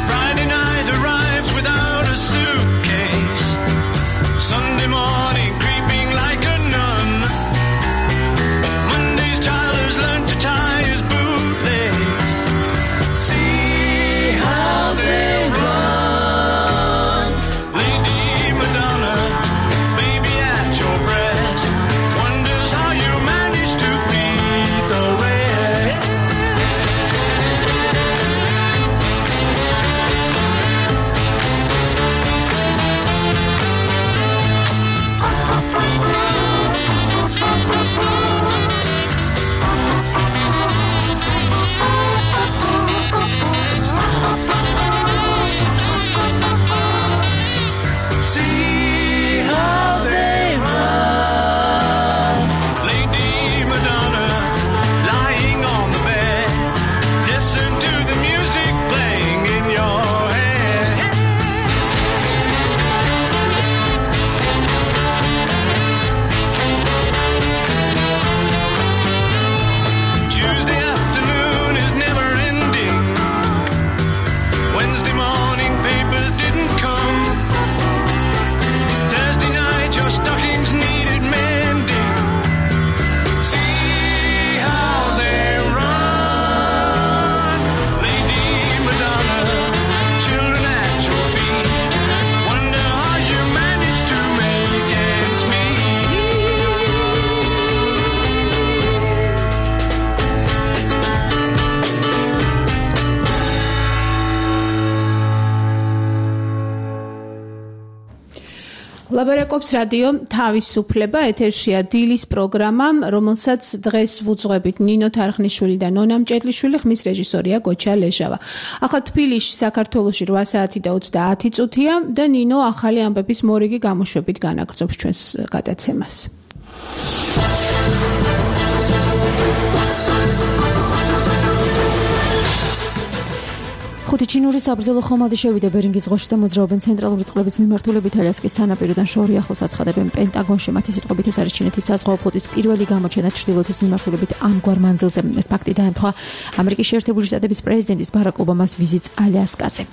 Speaker 14: Friday night arrives without a suit.
Speaker 4: ლაბარაკობს რადიო თავისუფლება, ეთერშია დილის პროგრამა, რომელსაც დღეს ვუძღვებით ნინო თარხნიშვილი და ნონა მჭედლიშვილი, ხმის რეჟისორია გოჩა ლეჟავა. ახლა თბილისში, საქართველოში რვა საათი და ოცდაათი წუთია და ნინო ახალი ამბების მორიგი გამოშვებით განაგრძობს ჩვენს გადაცემას.
Speaker 2: ხუთი ჩინური საბრძოლო ხომალდი შევიდა ბერინგის ზღვაში და მოძრაობენ ცენტრალური წყლების მიმართულებით ალიასკის სანაპიროდან შორი ახლოს აცხადებენ პენტაგონში. მათი სიტყვებით ეს არის ჩინეთის საზღვაო ფლოტის პირველი გამოჩენა ჩრდილოეთის მიმართულებით ამგვარ მანძილზე. ეს ფაქტი დაემთხვა ამერიკის შეერთებული შტატების პრეზიდენტის ბარაკ ობამას ვიზიტს ალიასკაზე.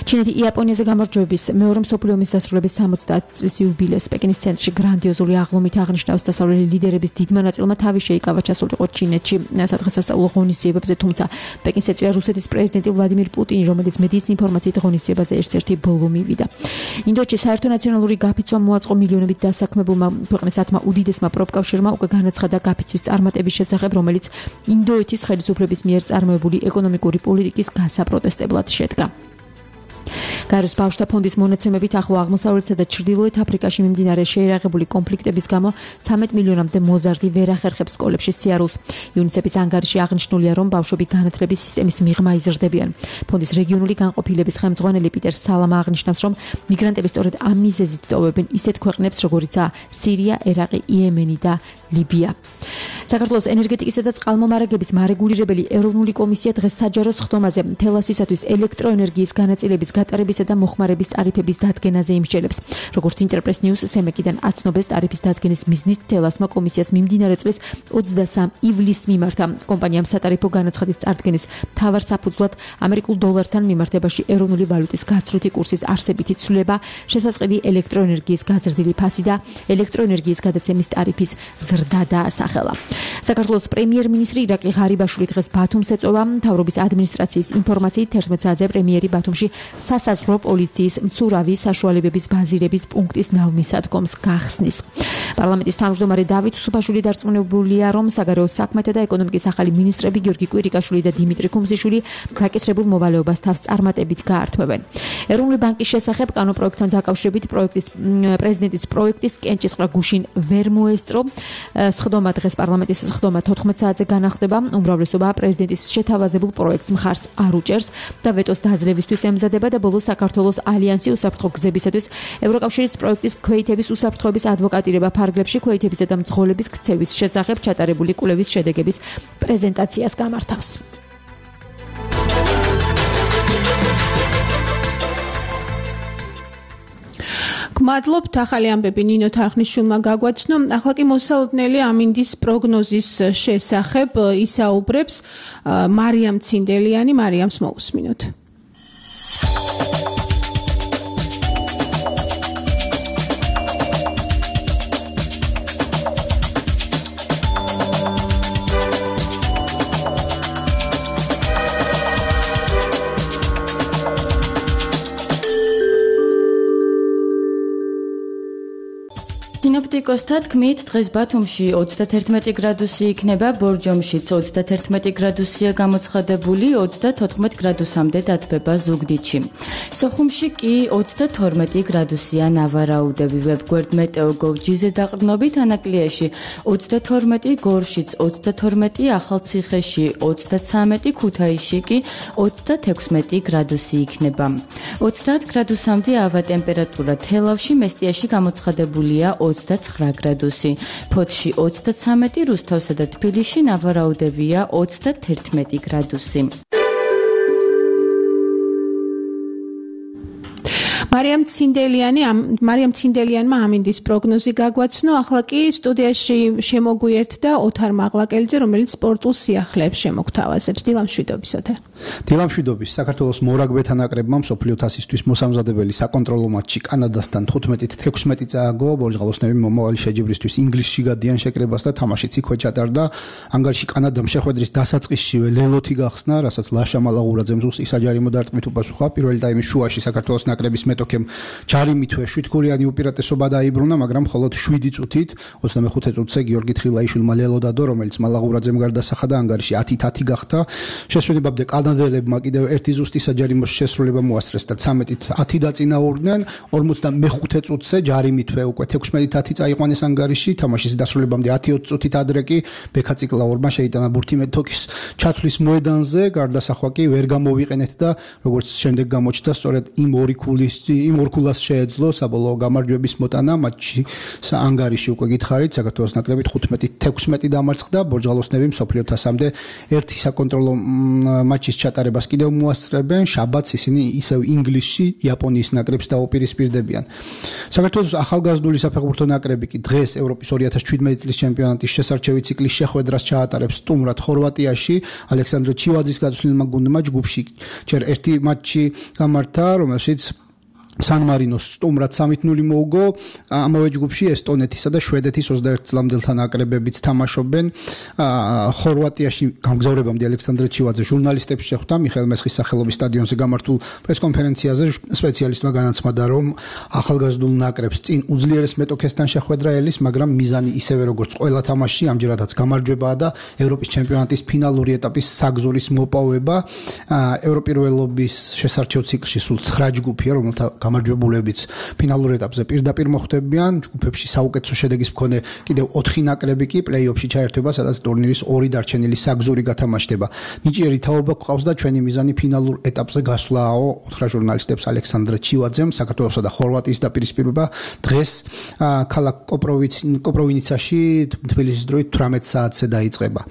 Speaker 2: ჩინეთი იაპონიაზე გამარჯვების მეორე მსოფლიო ომის დასრულების სამოცდაათი წლის იუბილეს პეკინის ცენტრში გრანდიოზული აღლუმით აღნიშნავს დასავლელი ლიდერების დიდმა ნაწილმა თავი შეიკავა ჩასულიყო ჩინეთში სადღესასწაულო ღონისძიებებზე, თუმცა პეკინს ეწვია რუსეთის პრეზიდენტი ვლადიმირ პუტინი, რომელიც მედიის ინფორმაციით ღონისძიებაზე ერთ-ერთი ბოლო მივიდა. ინდოეთში საერთო ნაციონალური გაფიცვა მოაწყო მილიონობით დასაქმებულმა ქვეყნის ათმა უდიდესმა პროფკავშირმა უკვე განაცხადა გაფიცვის წარმატების შესახებ, რომელიც ინდოეთის ხელისუფლების მიერ წარმოებული ეკონომიკური პოლიტიკის გასაპროტესტებლად შედგა. გაეროს ბავშვთა ფონდის მონაცემებით ახლო აღმოსავლეთსა და ჩრდილოეთ აფრიკაში მიმდინარე შეერაღებული კონფლიქტების გამო ცამეტ მილიონამდე მოზარდი ვერ ახერხებს სკოლებში სიარულს. იუნისეფის ანგარიში აღნიშნულია, რომ ბავშვები განათლების სისტემის მიღმა იზრდებიან. ფონდის რეგიონული განყოფილების ხელმძღვანელი პიტერ სალამა აღნიშნავს, რომ მიგრანტები სწორედ ამ მიზეზით ტოვებენ ისეთ ქვეყნებს, როგორიცაა სირია, ერაყი, იემენი და ლიბია. საქართველოს ენერგეტიკისა და წყალმომარაგების მარეგულირებელი ეროვნული კომისია დღეს საჯარო სხდომაზე თელასისათვის ელექტროენერგიის განაწილების გატარებისა და მოხმარების ტარიფების დადგენაზე იმსჯელებს. როგორც ინტერპრეს ნიუს სემეკიდან აცნობეს, ტარიფის დადგენის მიზნით თელასმა კომისიას მიმდინარე წლის ოცდასამი ივლისს მიმართა. კომპანიამ სატარიფო განაცხადის წარდგენის მთავარ საფუძვლად ამერიკულ დოლართან მიმართებაში ეროვნული ვალუტის გაცვლითი კურსის არსებითი ცვლილება, შესაწყდი ელექტროენერგიის გაზრდილი ფასი და ელექტროენერგიის გადაცემის ტარიფის ზრდა დაასახელა. საქართველოს პრემიერ-მინისტრი ირაკლი ღარიბაშვილი დღეს ბათუმს ეწვევა. მთავრობის ადმინისტრაციის ინფორმაციით თერთმეტ საათზე პრემიერი ბათუმში სასაზღვრო პოლიციის მცურავი საშუალებების ბაზირების პუნქტის ნავმისადგომს გახსნის. პარლამენტის თავმჯდომარე დავით სუფაშვილი დარწმუნებულია, რომ საგარეო საქმეთა და ეკონომიკის ახალი მინისტრები გიორგი კვირიკაშვილი და დიმიტრი ქუმზიშვილი დაკისრებულ მოვალეობას თავს წარმატებით გაართმევენ. ეროვნული ბანკის შესახებ კანონპროექტთან დაკავშირებით პროექტის პრეზიდენტის პროექტის კენჭისყრა გუშინ ვერ მოესწრო. სხდომა დღეს პარლამენტის სხდომა თოთხმეტ საათზე განახდება. უმრავლესობა პრეზიდენტის შეთავაზებულ პროექტს მხარს არ უჭერს და ვეტოს დაძლევისთვის ემზადება და ბოლოს საქართველოს ალიანსი უსაფრთხო გზებისათვის ევროკავშირის პროექტის ქვეითების უსაფრთხოების ადვოკატირება ფარგლებში ქვეითებისა და მძღოლების ქცევის შესახებ ჩატარებული კვლევის შედეგების პრეზენტაციას გამართავს.
Speaker 4: გმადლობთ, ახალი ამბები ნინო თარხნიშვილმა გაგვაცნო. ახლა კი მოსაოდნელი ამინდის პროგნოზის შესახებ ისაუბრებს მარიამ ცინდელიანი. მარიამს მოусმინოთ.
Speaker 14: სინოპტიკოსთა თქმით, დღეს ბათუმში ოცდათერთმეტი გრადუსი იქნება, ბორჯომშიც ოცდათერთმეტი გრადუსია გამოცხადებული, ოცდათოთხმეტ გრადუსამდე დათბება ზუგდიდში. სოხუმში კი ოცდათორმეტი გრადუსია ნავარაუდები. ვებგვერდ მეტეოგოვ.gz-ზე დაყრდნობით ანაკლიაში ოცდათორმეტი, გორშიც ოცდათორმეტი, ახალციხეში ოცდაცამეტი, ქუთაისში კი ოცდათექვსმეტი გრადუსი იქნება. ოცდაათ გრადუსამდე ავა ტემპერატურა თელავში, მესტიაში გამოცხადებულია ოცდაცხრა გრადუსი. ფოთში ოცდაცამეტი, რუსთავსა და თბილისში ნავარაუდებია ოცდათერთმეტი გრადუსი.
Speaker 4: მარიამ ცინდელიანი მარიამ ცინდელიანმა ამინდის პროგნოზი გაგვაცნო. ახლა კი სტუდიაში შემოგვიერთდა ოთარ მაღლაკელიძე, რომელიც სპორტულ სიახლეებს შემოგთავაზებს. დილამშვიდობის ოთარ.
Speaker 15: დილამშვიდობის. საქართველოს მორაგბეთა ნაკრებმა მსოფლიო თასისთვის მოსამზადებელი საკონტროლო მატჩი კანადასთან თხუთმეტით თექვსმეტი წააგო. ბორჯღალოსნები მომავალი შეჯიბრისთვის ინგლისში გადიან შეკრებას და თამაშიც იქვე ჩატარდა. ანგარიში კანადამ შეხვედრის დასაწყისშივე ლელოთი გახსნა, რასაც ლაშა მალაღურაძემ ზუსტი საჯარიმო დარტყმით უპასუხა. პირველი ტაიმის შუაში საქართველოს ნაკრების მეტოქემ ჯარი მithwe შვიდ ქულიანი უპირატესობა დაიბრუნა, მაგრამ მხოლოდ შვიდი წუთით ოცდამეხუთე წუთზე გიორგი თხილაიშვილმა ლელოდადო, რომელიც მალაღურაძემ გარდასახა და ანგარიში ათით ათი გახდა. შესვენებამდე კანადელებმა კიდევ ერთი ზუსტი საჯარიმოს შესრულება მოასწრეს და ცამეტით ათი დაწინაურდნენ. ორმოცდამეხუთე წუთზე ჯარი მithwe უკვე თექვსმეტით ათი წაიყვანეს ანგარიში, თამაშის დასრულებამდე ათი ოცი წუთით ადრე კი ბექა ციკლაურმა შეიტანა ბურთი მეტოქის ჩათვლის მოედანზე, გარდასახვა კი ვერ გამოვიყენეთ და როგორც შემდეგ გამოჩნდა, სწორედ იმ ორი ქულის იმ ორ ქულას შეეძლო საბოლოო გამარჯვების მოტანა მატჩში ანგარიში უკვე გითხარით, საქართველოს ნაკრებით ხუთმეტი თექვსმეტი დამარცხდა, ბორჯღალოსნები მსოფლიო თასამდე ერთი საკონტროლო მატჩის ჩატარებას კიდევ მოასწრებენ, შაბათს ისინი ისევ ინგლისში იაპონიის ნაკრებს დაუპირისპირდებიან. საქართველოს ახალგაზრდული საფეხბურთო ნაკრები კი დღეს ევროპის ორი ათას შვიდმეტი წლის ჩემპიონატის შესარჩევი ციკლის შეხვედრას ჩაატარებს სტუმრად ხორვატიაში. ალექსანდრე ჩივაძის გაწვრთნილმა გუნდმა ჯგუფში ჯერ ერთი მატჩი გამართა, რომელშიც სან მარინოს სტუმრად სამით ნული მოუგო. ამავე ჯგუფში ესტონეთისა და შვედეთის ოცდაერთი წლამდელთა ნაკრებებიც თამაშობენ. ხორვატიაში გამგზავრებამდე ალექსანდრე ჩივაძე ჟურნალისტებს შეხვდა მიხეილ მესხის სახელობის სტადიონზე გამართულ პრესკონფერენციაზე. სპეციალისტმა განაცხადა, რომ ახალგაზრდულ ნაკრებს წინ უძლიერეს მეტოქესთან შეხვედრა ელის, მაგრამ მიზანი ისევე როგორც ყველა თამაშში ამჯერადაც გამარჯვებაა და ევროპის ჩემპიონატის ფინალური ეტაპის საგზურის მოპოვება. ევროპირველობის შესარჩევ ციკლში სულ ცხრა ჯგუფია, რომელთა გამარჯვებულებიც ფინალურ ეტაპზე პირდაპირ მოხვდებიან. ჯგუფებში საუკეთესო შედეგის მქონე კიდევ ოთხი ნაკრები კი პლეი-ოფში ჩაერთვება, სადაც ტურნირის ორი დარჩენილი საგზური გათამაშდება. ნიჭიერი თაობა გვყავს და ჩვენი მიზანი ფინალურ ეტაპზე გასვლააო, უთხრა ჟურნალისტებს ალექსანდრე ჩივაძემ. საქართველოსა და ხორვატიის დაპირისპირება დღეს ქალაქ კოპროვინიცაში თბილისის დროით თვრამეტ საათზე დაიწყება.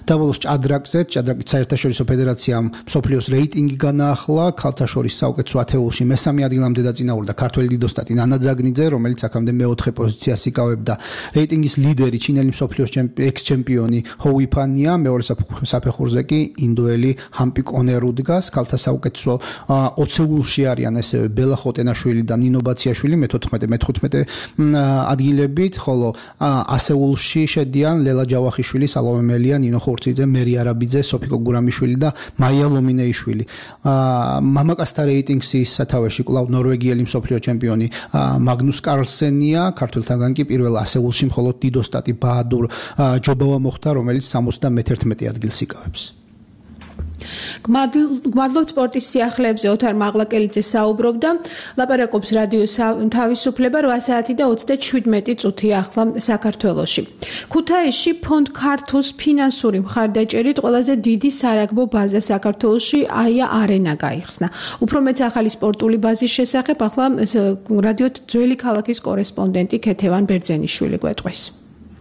Speaker 15: დაბოლოს ჭადრაკზე, ჭადრაკის საერთაშორისო ფედერაციამ მსოფლიოს რეიტინგი განაახლა, ქალთა შორის საუკეთესო ათეულში მესამე ადგილამდე დაწინაურდა ქართველი დიდოსტატი ნანა ძაგნიძე, რომელიც აქამდე მეოთხე პოზიციას იკავებდა. რეიტინგის ლიდერი ჩინელი მსოფლიოს ექს-ჩემპიონი ჰოუი ფანია, მეორე საფეხურზე კი ინდოელი ჰამპი კონერუ დგას. ქალთა საუკეთესო ოცეულში არიან ესევე ბელა ხოტენაშვილი და ნინო ბაციაშვილი მეთოთხმეტე მეთოთხმეტე ადგილებით, ხოლო ასეულში შედიან ლელა ჯავახიშვილი, სალომე მელია, ნინო ხურციძე, მერი არაბიძე, სოფიკო გურამიშვილი და მაია ლომინეიშვილი. მამაკაცთა რეიტინგის სათავეში კვლავ ნორვეგიელი მსოფლიო ჩემპიონი მაგნუს კარლსენია, ქართველთაგან კი პირველ ასეულში მხოლოდ დიდოსტატი ბაადურ ჯობავა მოხდა, რომელიც სამოცდამეერთმეტე ადგილს იკავებს.
Speaker 4: გმადლობთ სპორტის სიახლეებზე ოთარ მაღლაკელიძე საუბრობდა. ლაპარაკობს რადიო თავისუფლება რვა საათი და ოცდაშვიდმეტი წუთი ახლა საქართველოში. ქუთაისში ფონდ ქართუს ფინანსური მხარდაჭერით ყველაზე დიდი სარაგბო ბაზა საქართველოში აია არენა გაიხსნა. უფრო მეც ახალი სპორტული ბაზის შესახებ ახლა რადიო ძველი ქალაქის კორესპონდენტი ქეთევან ბერძენიშვილი გვეტყვის.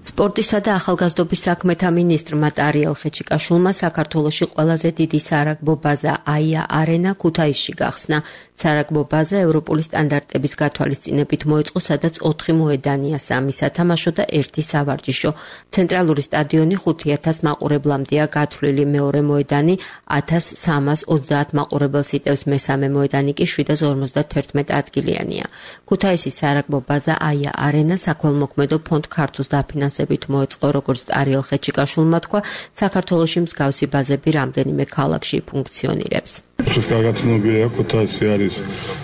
Speaker 16: სპორტისა და ახალგაზრდობის საქმეთა მინისტრმა ტარიელ ხეჩიკაშვილმა საქართველოში ყველაზე დიდი სარაგბო ბაზა აია არენა ქუთაისში გახსნა. სარაგბო ბაზა ევროპული სტანდარტების გათვალისწინებით მოეწყო, სადაც ოთხი მოედანია, სამი სათამაშო და ერთი სავარჯიშო. ცენტრალური სტადიონი ხუთი ათას მაყურებლამდეა გათვლილი, მეორე მოედანი ათას სამას ოცდაათ მაყურებელს იტევს, მესამე მოედანი კი შვიდას ორმოცდათერთმეტ ადგილიანია. ქუთაისის სარაგბო ბაზა აია არენა საქველმოქმედო ფონდ ქართუს დაფინანსებით მოეწყო, როგორც ტარიელ ხეჩიკაშვილმა თქვა, საქართველოში მსგავსი ბაზები რამდენიმე ქალაქში ფუნქციონირებს.
Speaker 17: ეს კარგად ცნობილია, ქუთაისი არის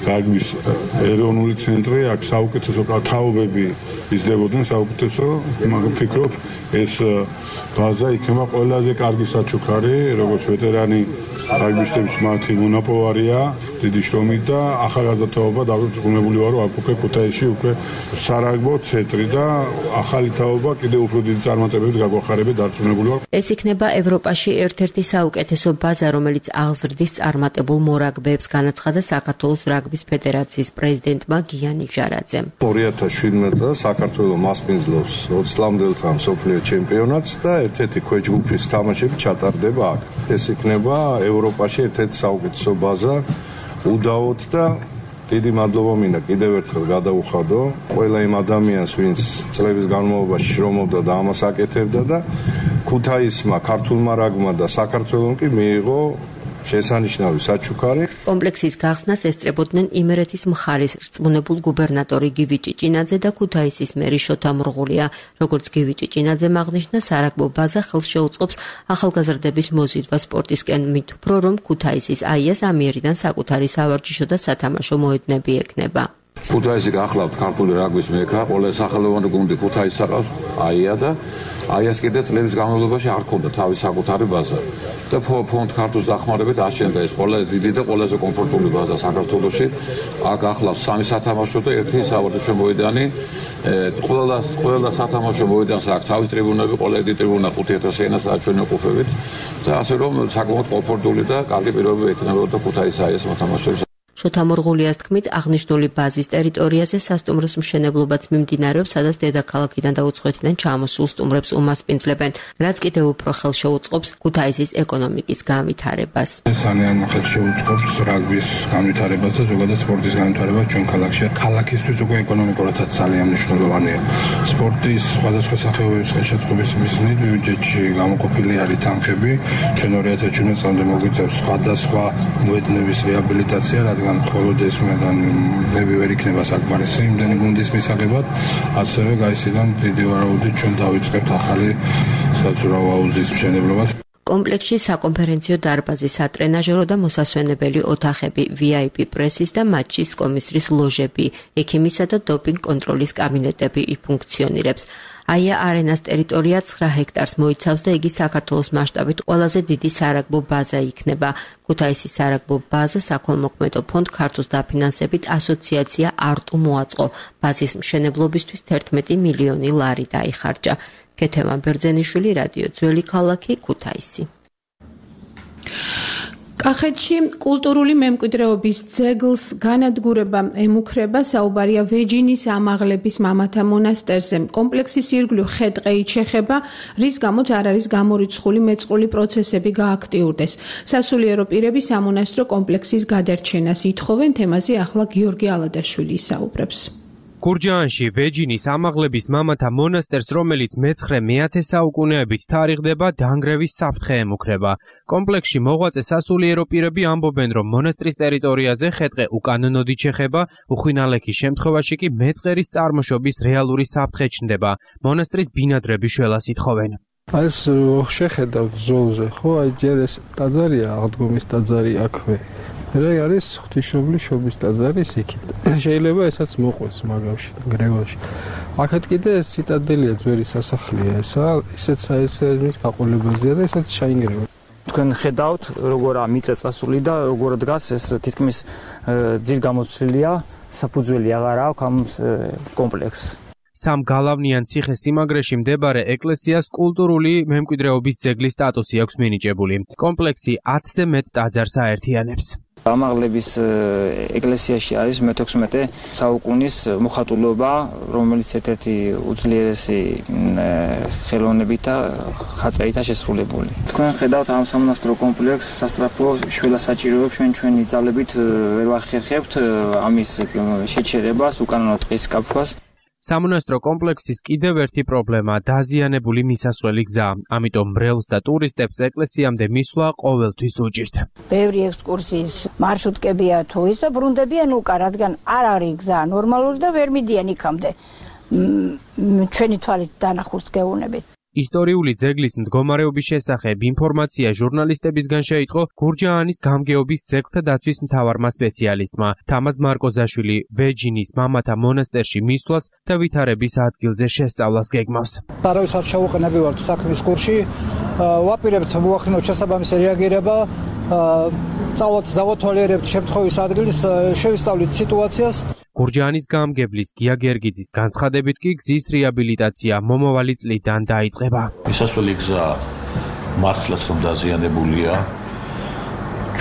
Speaker 17: რაგბის ეროვნული ცენტრი, აქ საუკეთესო თაობები იზრდებოდნენ, საუკეთესო, მაგრამ ვფიქრობ, ეს ბაზა იქნება ყველაზე კარგი საჩუქარი, როგორც ვეტერანი რაგბისტების მათი მონაპოვარია, დიდი შრომით და ახალგაზრდა თაობა დაბრუნებული ვარო, აქ უკვე ქუთაისში უკვე სარაგბო ცენტრი და ახალი თაობა კიდევ უფრო დიდი წარმატებებით გაგვახარებია დარწმუნებული ვარ.
Speaker 16: ეს იქნება ევროპაში ერთ-ერთი საუკეთესო ბაზა, რომელიც აღზრდის წარმატებულ მორაგბეებს, განაცხადა საქართველოს რაგბის ფედერაციის პრეზიდენტმა გიანი ჟარაძემ.
Speaker 18: ორი ათას შვიდმეტი წელს საქართველოს მასპინძლობს ოცი წლამდელთა მსოფლიო ჩემპიონატს და ერთ-ერთი ქვეჯგუფის თამაშები ჩატარდება აქ. ეს იქნება ევროპაში ერთ-ერთი საუკეთესო ბაზა. უდაოდ და დიდი მადლობა მინდა კიდევ ერთხელ გადავუხადო ყველა იმ ადამიანს, ვინც წლების განმავლობაში შრომობდა და ამას აკეთებდა და ქუთაისმა, ქართულმა რაგბმა და საქართველოს კი მიიღო შესანიშნავი საჩუქარი.
Speaker 16: კომპლექსის გახსნას ესწრებოდნენ იმერეთის მხარის რწმუნებულ გუბერნატორი გივი ჭიჭინაძე და ქუთაისის მერი შოთა მრღულია. როგორც გივი ჭიჭინაძემ აღნიშნა, სარაგბო ბაზა ხელს შეუწყობს ახალგაზრდების მოზიდვა სპორტისკენ, მით უფრო რომ ქუთაისის აიას ამიერიდან საკუთარი სავარჯიშო და სათამაშო მოედნები ექნება.
Speaker 19: ქუთაისი გახლავთ ქართული რაგბის მექა, ყველა სახელოვანი გუნდი ქუთაისს აკავს, აია და აიას კიდე წლების განმავლობაში არ ქონდა თავის საკუთარი ბაზა. და ფონდ ქართულს დახმარებით აშენდა ეს ყველა დიდი და ყველაზე კომფორტული ბაზა საქართველოში. აქ ახლავს სამი სათამაშო და ერთი სავარჯიშო მოედანი. ყველა ყველა სათამაშო მოედანს აქვს თავის ტრიბუნები, ყველა ერთი ტრიბუნა ხუთი ათასი ენას აჩვენე ყოფებით და ასე რომ საკმაოდ კომფორტული და კარგი პირობები ექნებოდა ქუთაისის აიას მოთამაშეებს.
Speaker 16: შოთა მრღულიას თქმით, აღნიშნული ბაზის ტერიტორიაზე სასტუმროს მშენებლობაც მიმდინარეობს, სადაც დედაქალაქიდან და უცხოეთიდან ჩამოსულ სტუმრებს უმასპინძლებენ, რაც კიდევ უფრო ხელს შეუწყობს ქუთაისის ეკონომიკის განვითარებას.
Speaker 17: ძალიან ხელს შეუწყობს რაგბის განვითარებას და ზოგადად სპორტის განვითარებას ჩვენ ქალაქში. ქალაქისთვის უკვე ეკონომიკურადაც ძალიან მნიშვნელოვანია. სპორტის სხვადასხვა სახეობების ხელშეწყობის მიზნით ბიუჯეტში გამოყოფილი არის თანხები. ჩვენ ორი ათას შვიდმეტ წლამდე მოგვიწევს სხვადასხვა მოედნების რეაბილიტაცია, რადგან მხოლოდ ეს მოედნები ვერ იქნება საკმარისი იმდენი გუნდის მისაღებად, ასევე გაისიდან დიდი ვარაუდით ჩვენ დავიწყებთ ახალი საცურაო აუზის მშენებლობას.
Speaker 16: კომპლექსში საკონფერენციო დარბაზი, სატრენაჟერო და მოსასვენებელი ოთახები, ვი აი პი პრესის და მატჩის კომისრის ლოჟები, ექიმისა და დოპინგ კონტროლის კაბინეტები იფუნქციონირებს. აია არენას ტერიტორია ცხრა ჰექტარს მოიცავს და იგი საქართველოს მასშტაბით ყველაზე დიდი სარაგბო ბაზა იქნება. ქუთაისის სარაგბო ბაზა საქველმოქმედო ფონდ ქართულს დაფინანსებით ასოციაცია არტუ მოაწყო. ბაზის მშენებლობისთვის თერთმეტი მილიონი ლარი დაიხარჯა. ქეთემა ბერძენიშვილი, რადიო ძველი ქალაქი, ქუთაისი.
Speaker 4: კახეთში კულტურული მემკვიდრეობის ძეგლს განადგურება ემუქრება, საუბარია ვეჯინის ამაღლების მამათა მონასტერზე. კომპლექსის ირგვლივ ხე-ტყეით შეხება, რის გამოც არ არის გამორიცხული მეწყრული პროცესები გააქტიურდეს. სასულიერო პირები სამონასტრო კომპლექსის გადარჩენას ითხოვენ, თემაზე ახლა გიორგი ალადაშვილი ისაუბრებს.
Speaker 20: გურჯაანში ვეჯინის ამაღლების მამათა მონასტერს, რომელიც მეცხრე მეათე საუკუნეებით თარიღდება, დანგრევის საფრთხე ემუქრება. კომპლექსში მოღვაწე სასულიერო პირები ამბობენ, რომ მონასტრის ტერიტორიაზე ხე-ტყე უკანონოდ იჩეხება, უხვინალექის შემთხვევაში კი მეწყერის წარმოშობის რეალური საფრთხე ჩნდება. მონასტრის ბინადრები შველას ითხოვენ.
Speaker 21: ეს შეხედავთ ზოლზე, ხო, აი ჯერ ეს ტაძარია, აღდგომის ტაძარი აქვე. რა არის ღვთისმშობლის შობის ტაძარი იქით. შეიძლება ესაც მოყვეს მაგავში, გრევაში. აქეთ კიდე ეს ციტადელია, ძველი სასახლეა ესა, ისეც საერთოდ გაყოლებაზეა და ესაც ჩაინგრევა.
Speaker 22: თქვენ ხედავთ, როგორ მიწაწასული და როგორ დგას ეს თითქმის ძირ გამოცვლილია, საფუძველი აღარ აქვს ამ კომპლექსს.
Speaker 20: სამ გალავნიან ციხე-სიმაგრეში მდებარე ეკლესიას კულტურული მემკვიდრეობის ძეგლის სტატუსი აქვს მინიჭებული. კომპლექსი ათზე მეტ ტაძარს აერთიანებს.
Speaker 22: ამაღლების ეკლესიაში არის მეთექვსმეტე საუკუნის მოხატულობა, რომელიც ერთ-ერთი უძლიერესი ხელოვნებით და ხატწერითაა შესრულებული. თქვენ ხედავთ ამ სამონასტრო კომპლექსს სასწრაფო შველასაჭიროებს ჩვენ ჩვენი ძალებით ვერ ვახერხებთ ამის შეჩერებას, უკანონო ტყის კაფას.
Speaker 20: სამონასტრო კომპლექსის კიდევ ერთი პრობლემა დაზიანებული მისასვლელი გზა. ამიტომ მრევლს და ტურისტებს ეკლესიამდე მისვლა ყოველთვის უჭირთ.
Speaker 23: ბევრი ექსკურსიის მარშრუტკებია თუ ის და ბრუნდებიან უკან, რადგან არ არის გზა ნორმალური და ვერ მიდიან იქამდე. ჩვენი თვალით დანახულს გეუბნებით.
Speaker 20: ისტორიული ძეგლის მდგომარეობის შესახებ ინფორმაცია ჟურნალისტებისგან შეიტყო გურჯაანის გამგეობის ძეგლთა დაცვის მთავარმა სპეციალისტმა თამაზ მარკოზაშვილი ვეჯინის მამათა მონასტერში მისვლას და ვითარების ადგილზე შესწავლას გეგმავს.
Speaker 24: არავის არ ჩავუყენებივართ საქმის კურსში, ვაპირებთ მოახდინოთ შესაბამისი რეაგირება, წავალთ დავათვალიერებთ შემთხვევის ადგილს, შევისწავლით სიტუაციას.
Speaker 20: გურჯაანის გამგებლის გია გერგიძის განცხადებით კი გზის რეაბილიტაცია მომავალი წლიდან დაიწყება.
Speaker 25: მისასვლელი გზა მართლაც რომ დაზიანებულია.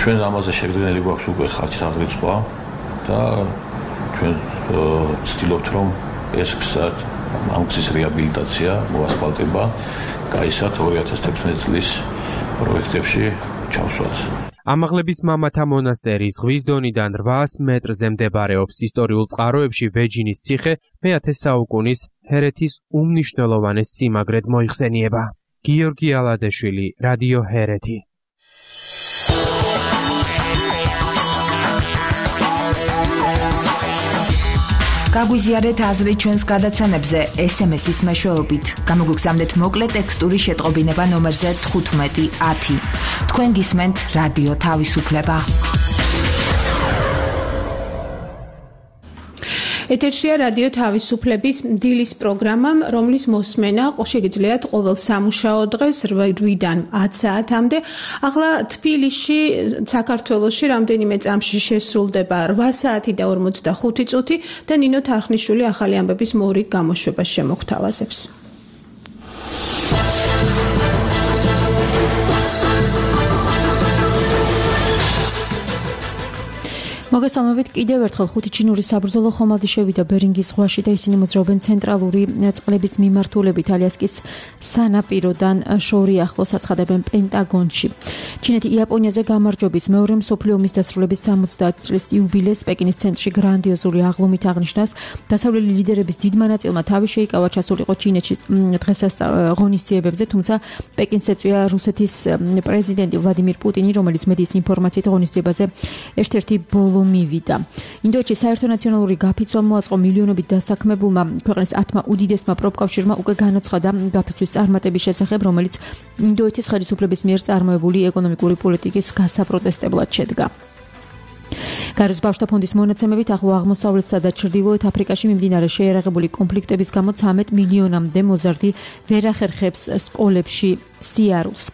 Speaker 25: ჩვენ ამაზე შეგვიძლია გვაქვს უკვე ხარჯით აღრიცხვა და ჩვენ ვცდილობთ რომ ეს გზა ამ გზის რეაბილიტაცია, მოასფალტება გაისად ორი ათას თექვსმეტი წლის პროექტებში ჩავსვათ.
Speaker 20: ამაღლების მამათა მონასტერი ზღვის დონიდან რვაას მეტრზე მდებარეობს. ისტორიულ წყაროებში ვეჯინის ციხე მეათე საუკუნის ჰერეთის უმნიშვნელოვანეს სიმაგრედ მოიხსენიება. გიორგი ალადაშვილი, რადიო ჰერეთი.
Speaker 3: გაგვიზიარეთ აზრი ჩვენს გადაცემებზე ეს ემ ეს-ის მეშვეობით. გამოგვიგზავნეთ მოკლე ტექსტური შეტყობინება ნომერზე თხუთმეტი ათი. თქვენ გისმენთ რადიო თავისუფლება.
Speaker 4: ეთერშია რადიო თავისუფლების დილის პროგრამა, რომლის მოსმენა შეგიძლიათ ყოველ სამუშაო დღეს რვიდან ათ საათამდე. ახლა თბილისში, საქართველოში რამდენიმე წამში შესრულდება რვა საათი და ორმოცდახუთი წუთი და ნინო თარხნიშვილი ახალი ამბების მორიგ გამოშვებას შემოგთავაზებს.
Speaker 2: მოგესალმებით კიდევ ერთხელ ხუთი ჩინური საბრძოლო ხომალდი შევიდა ბერინგის ზღვაში და ისინი მოძრაობენ ცენტრალური წყლების მიმართულებით ალიასკის სანაპიროდან შორი ახლოს აცხადებენ პენტაგონში. ჩინეთი იაპონიაზე გამარჯვების მეორე მსოფლიო ომის დასრულების სამოცდაათი წლის იუბილეს პეკინის ცენტრში გრანდიოზული აღლუმით აღნიშნას. დასავლელი ლიდერების დიდმა ნაწილმა თავი შეიკავა ჩასულიყო ჩინეთში დღესასწაულ ღონისძიებებზე, თუმცა პეკინს ეწვია რუსეთის პრეზიდენტი ვლადიმირ პუტინი, რომელიც მედიის ინფორმაციით ღონისძიებაზე ერთ-ერთი ბოლო მივიდა. ინდოეთში საერთო ნაციონალური გაფიცვა მოაწყო მილიონობით დასაქმებულმა. ქვეყნის ათმა უდიდესმა პროფკავშირმა უკვე განაცხადა გაფიცვის წარმატების შესახებ, რომელიც ინდოეთის ხელისუფლების მიერ წარმოებული ეკონომიკური პოლიტიკის გასაპროტესტებლად შედგა. გარუს ბავშვთა ფონდის მონაცემებით ახლო აღმოსავლეთსა და ჩრდილოეთ აფრიკაში მიმდინარე შეიარაღებული კონფლიქტების გამო ცამეტ მილიონამდე მოზარდი ვერ ახერხებს სკოლებში სიარულს.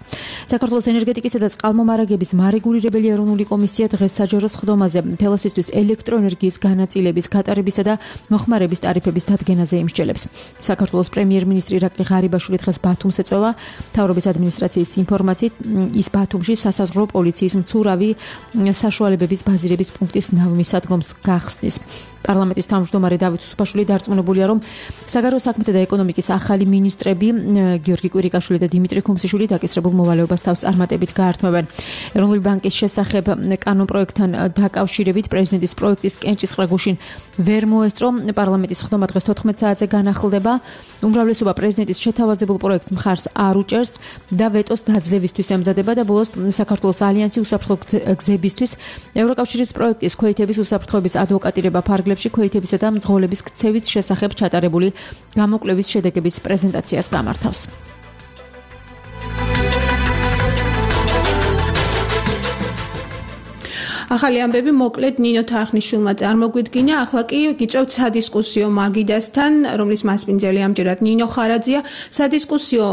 Speaker 2: საქართველოს ენერგეტიკისა და წყალმომარაგების მარეგულირებელი ეროვნული კომისია დღეს საჯარო სხდომაზე თელასისთვის ელექტროენერგიის განაწილების, გატარებისა და მოხმარების ტარიფების დადგენაზე იმსჯელებს. საქართველოს პრემიერ-მინისტრი ირაკლი ღარიბაშვილი დღეს ბათუმს ეწვევა. მთავრობის ადმინისტრაციის ინფორმაციით ის ბათუმში სასაზღვრო პოლიციის მცურავი საშუალებების ბაზირების პუნქტის ნავმისადგომს გახსნის. პარლამენტის თავმჯდომარე დავით უსუფაშვილი დარწმუნებულია, რომ საგარეო საქმეთა და ეკონომიკის ახალი მინისტრები გიორგი კვირიკაშვილი და დიმიტრი ხუმსიშვილი დაკისრებულ მოვალეობას თავს წარმატებით გაართმევენ. ეროვნული ბანკის შესახებ კანონ პროექტთან დაკავშირებით პრეზიდენტის პროექტის კენჭისყრა გუშინ ვერ მოესწრო. პარლამენტის ხდომა დღეს თოთხმეტ საათზე განახლდება. უმრავლესობა პრეზიდენტის შეთავაზებულ პროექტს მხარს არ უჭერს და ვეტოს დაძლევისთვის ემზადება და ბოლოს საქართველოს ალიანსი უსაფრთხო გზებისთვის ევროკავშირის პროექტის ქვეითების უსაფრთხოების ადვოკატირება ფარგლებში ქვეითებისა და მძღოლების ქცევის შესახებ ჩატარებული გამოკვლევის შედეგების პრეზენტაციას გამართავს.
Speaker 4: ახალი ამბები მოკლედ ნინო თარხნიშვილმა წარმოგვიდგინა. ახლა კი გიწევთ სადისკუსიო მაგიდასთან, რომლის მასპინძელი ამჯერად ნინო ხარაძია. სადისკუსიო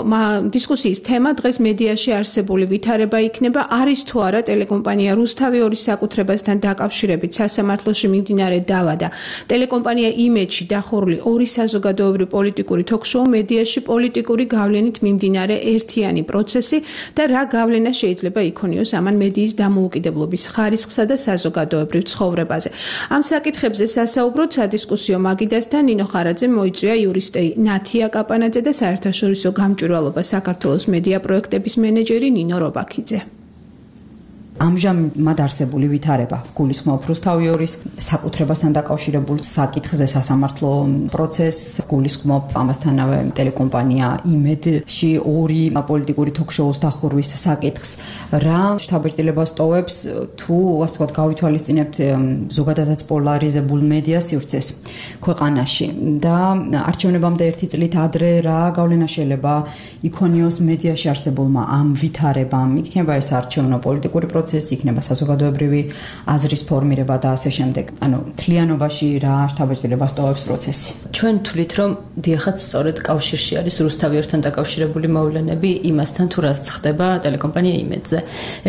Speaker 4: დისკუსიის თემა დღეს მედიაში არსებული ვითარება იქნება, არის თუ არა ტელეკომპანია რუსთავი ორის საკუთრებასთან დაკავშირებით სასამართლოში მიმდინარე დავა და ტელეკომპანია იმედში დახურული ორი საზოგადოებრივი პოლიტიკური თოქ-შოუ მედიაში პოლიტიკური გავლენით მიმდინარე ერთიანი პროცესი და რა გავლენა შეიძლება იქონიოს ამან მედიის დამოუკიდებლობის ხარისხსა და საზოგადოებრივ ცხოვრებაზე. ამ საკითხებზე სასაუბროდ სადისკუსიო მაგიდასთან ნინო ხარაძე მოიწვია იურისტი ნათია კაპანაძე და საერთაშორისო გამჭვირვალობა საქართველოს მედია პროექტების მენეჯერი ნინო რობაქიძე.
Speaker 6: ამჟამად არსებული ვითარება გულისხმობს რუსთავი ორის საკუთრებასთან დაკავშირებულ საკითხზე სასამართლო პროცესს, გულისხმობს ამასთანავე ტელეკომპანია იმედში ორი პოლიტიკური თოქ-შოუს დახურვის საკითხს. რა შთაბეჭდილებას ტოვებს თუ ასე ვთქვათ გავითვალისწინებთ ზოგადადაც პოლარიზებულ მედია სივრცეს ქვეყანაში და არჩევნებამდე ერთი წლით ადრე რა გავლენა შეიძლება იქონიოს მედიაში არსებულმა ამ ვითარებამ, იქნება ეს არჩევნო პოლიტიკური პროცესი, იქნება საზოგადოებრივი აზრის ფორმირება და ასე შემდეგ. ანუ თლიანობაში რა შთაბეჭდილებას ტოვებს პროცესი.
Speaker 7: ჩვენ თვლით, რომ დიახაც სწორედ კავშირში არის რუსთავი ორთან დაკავშირებული მოვლენები იმასთან, თუ რაც ხდება ტელეკომპანია იმედზე.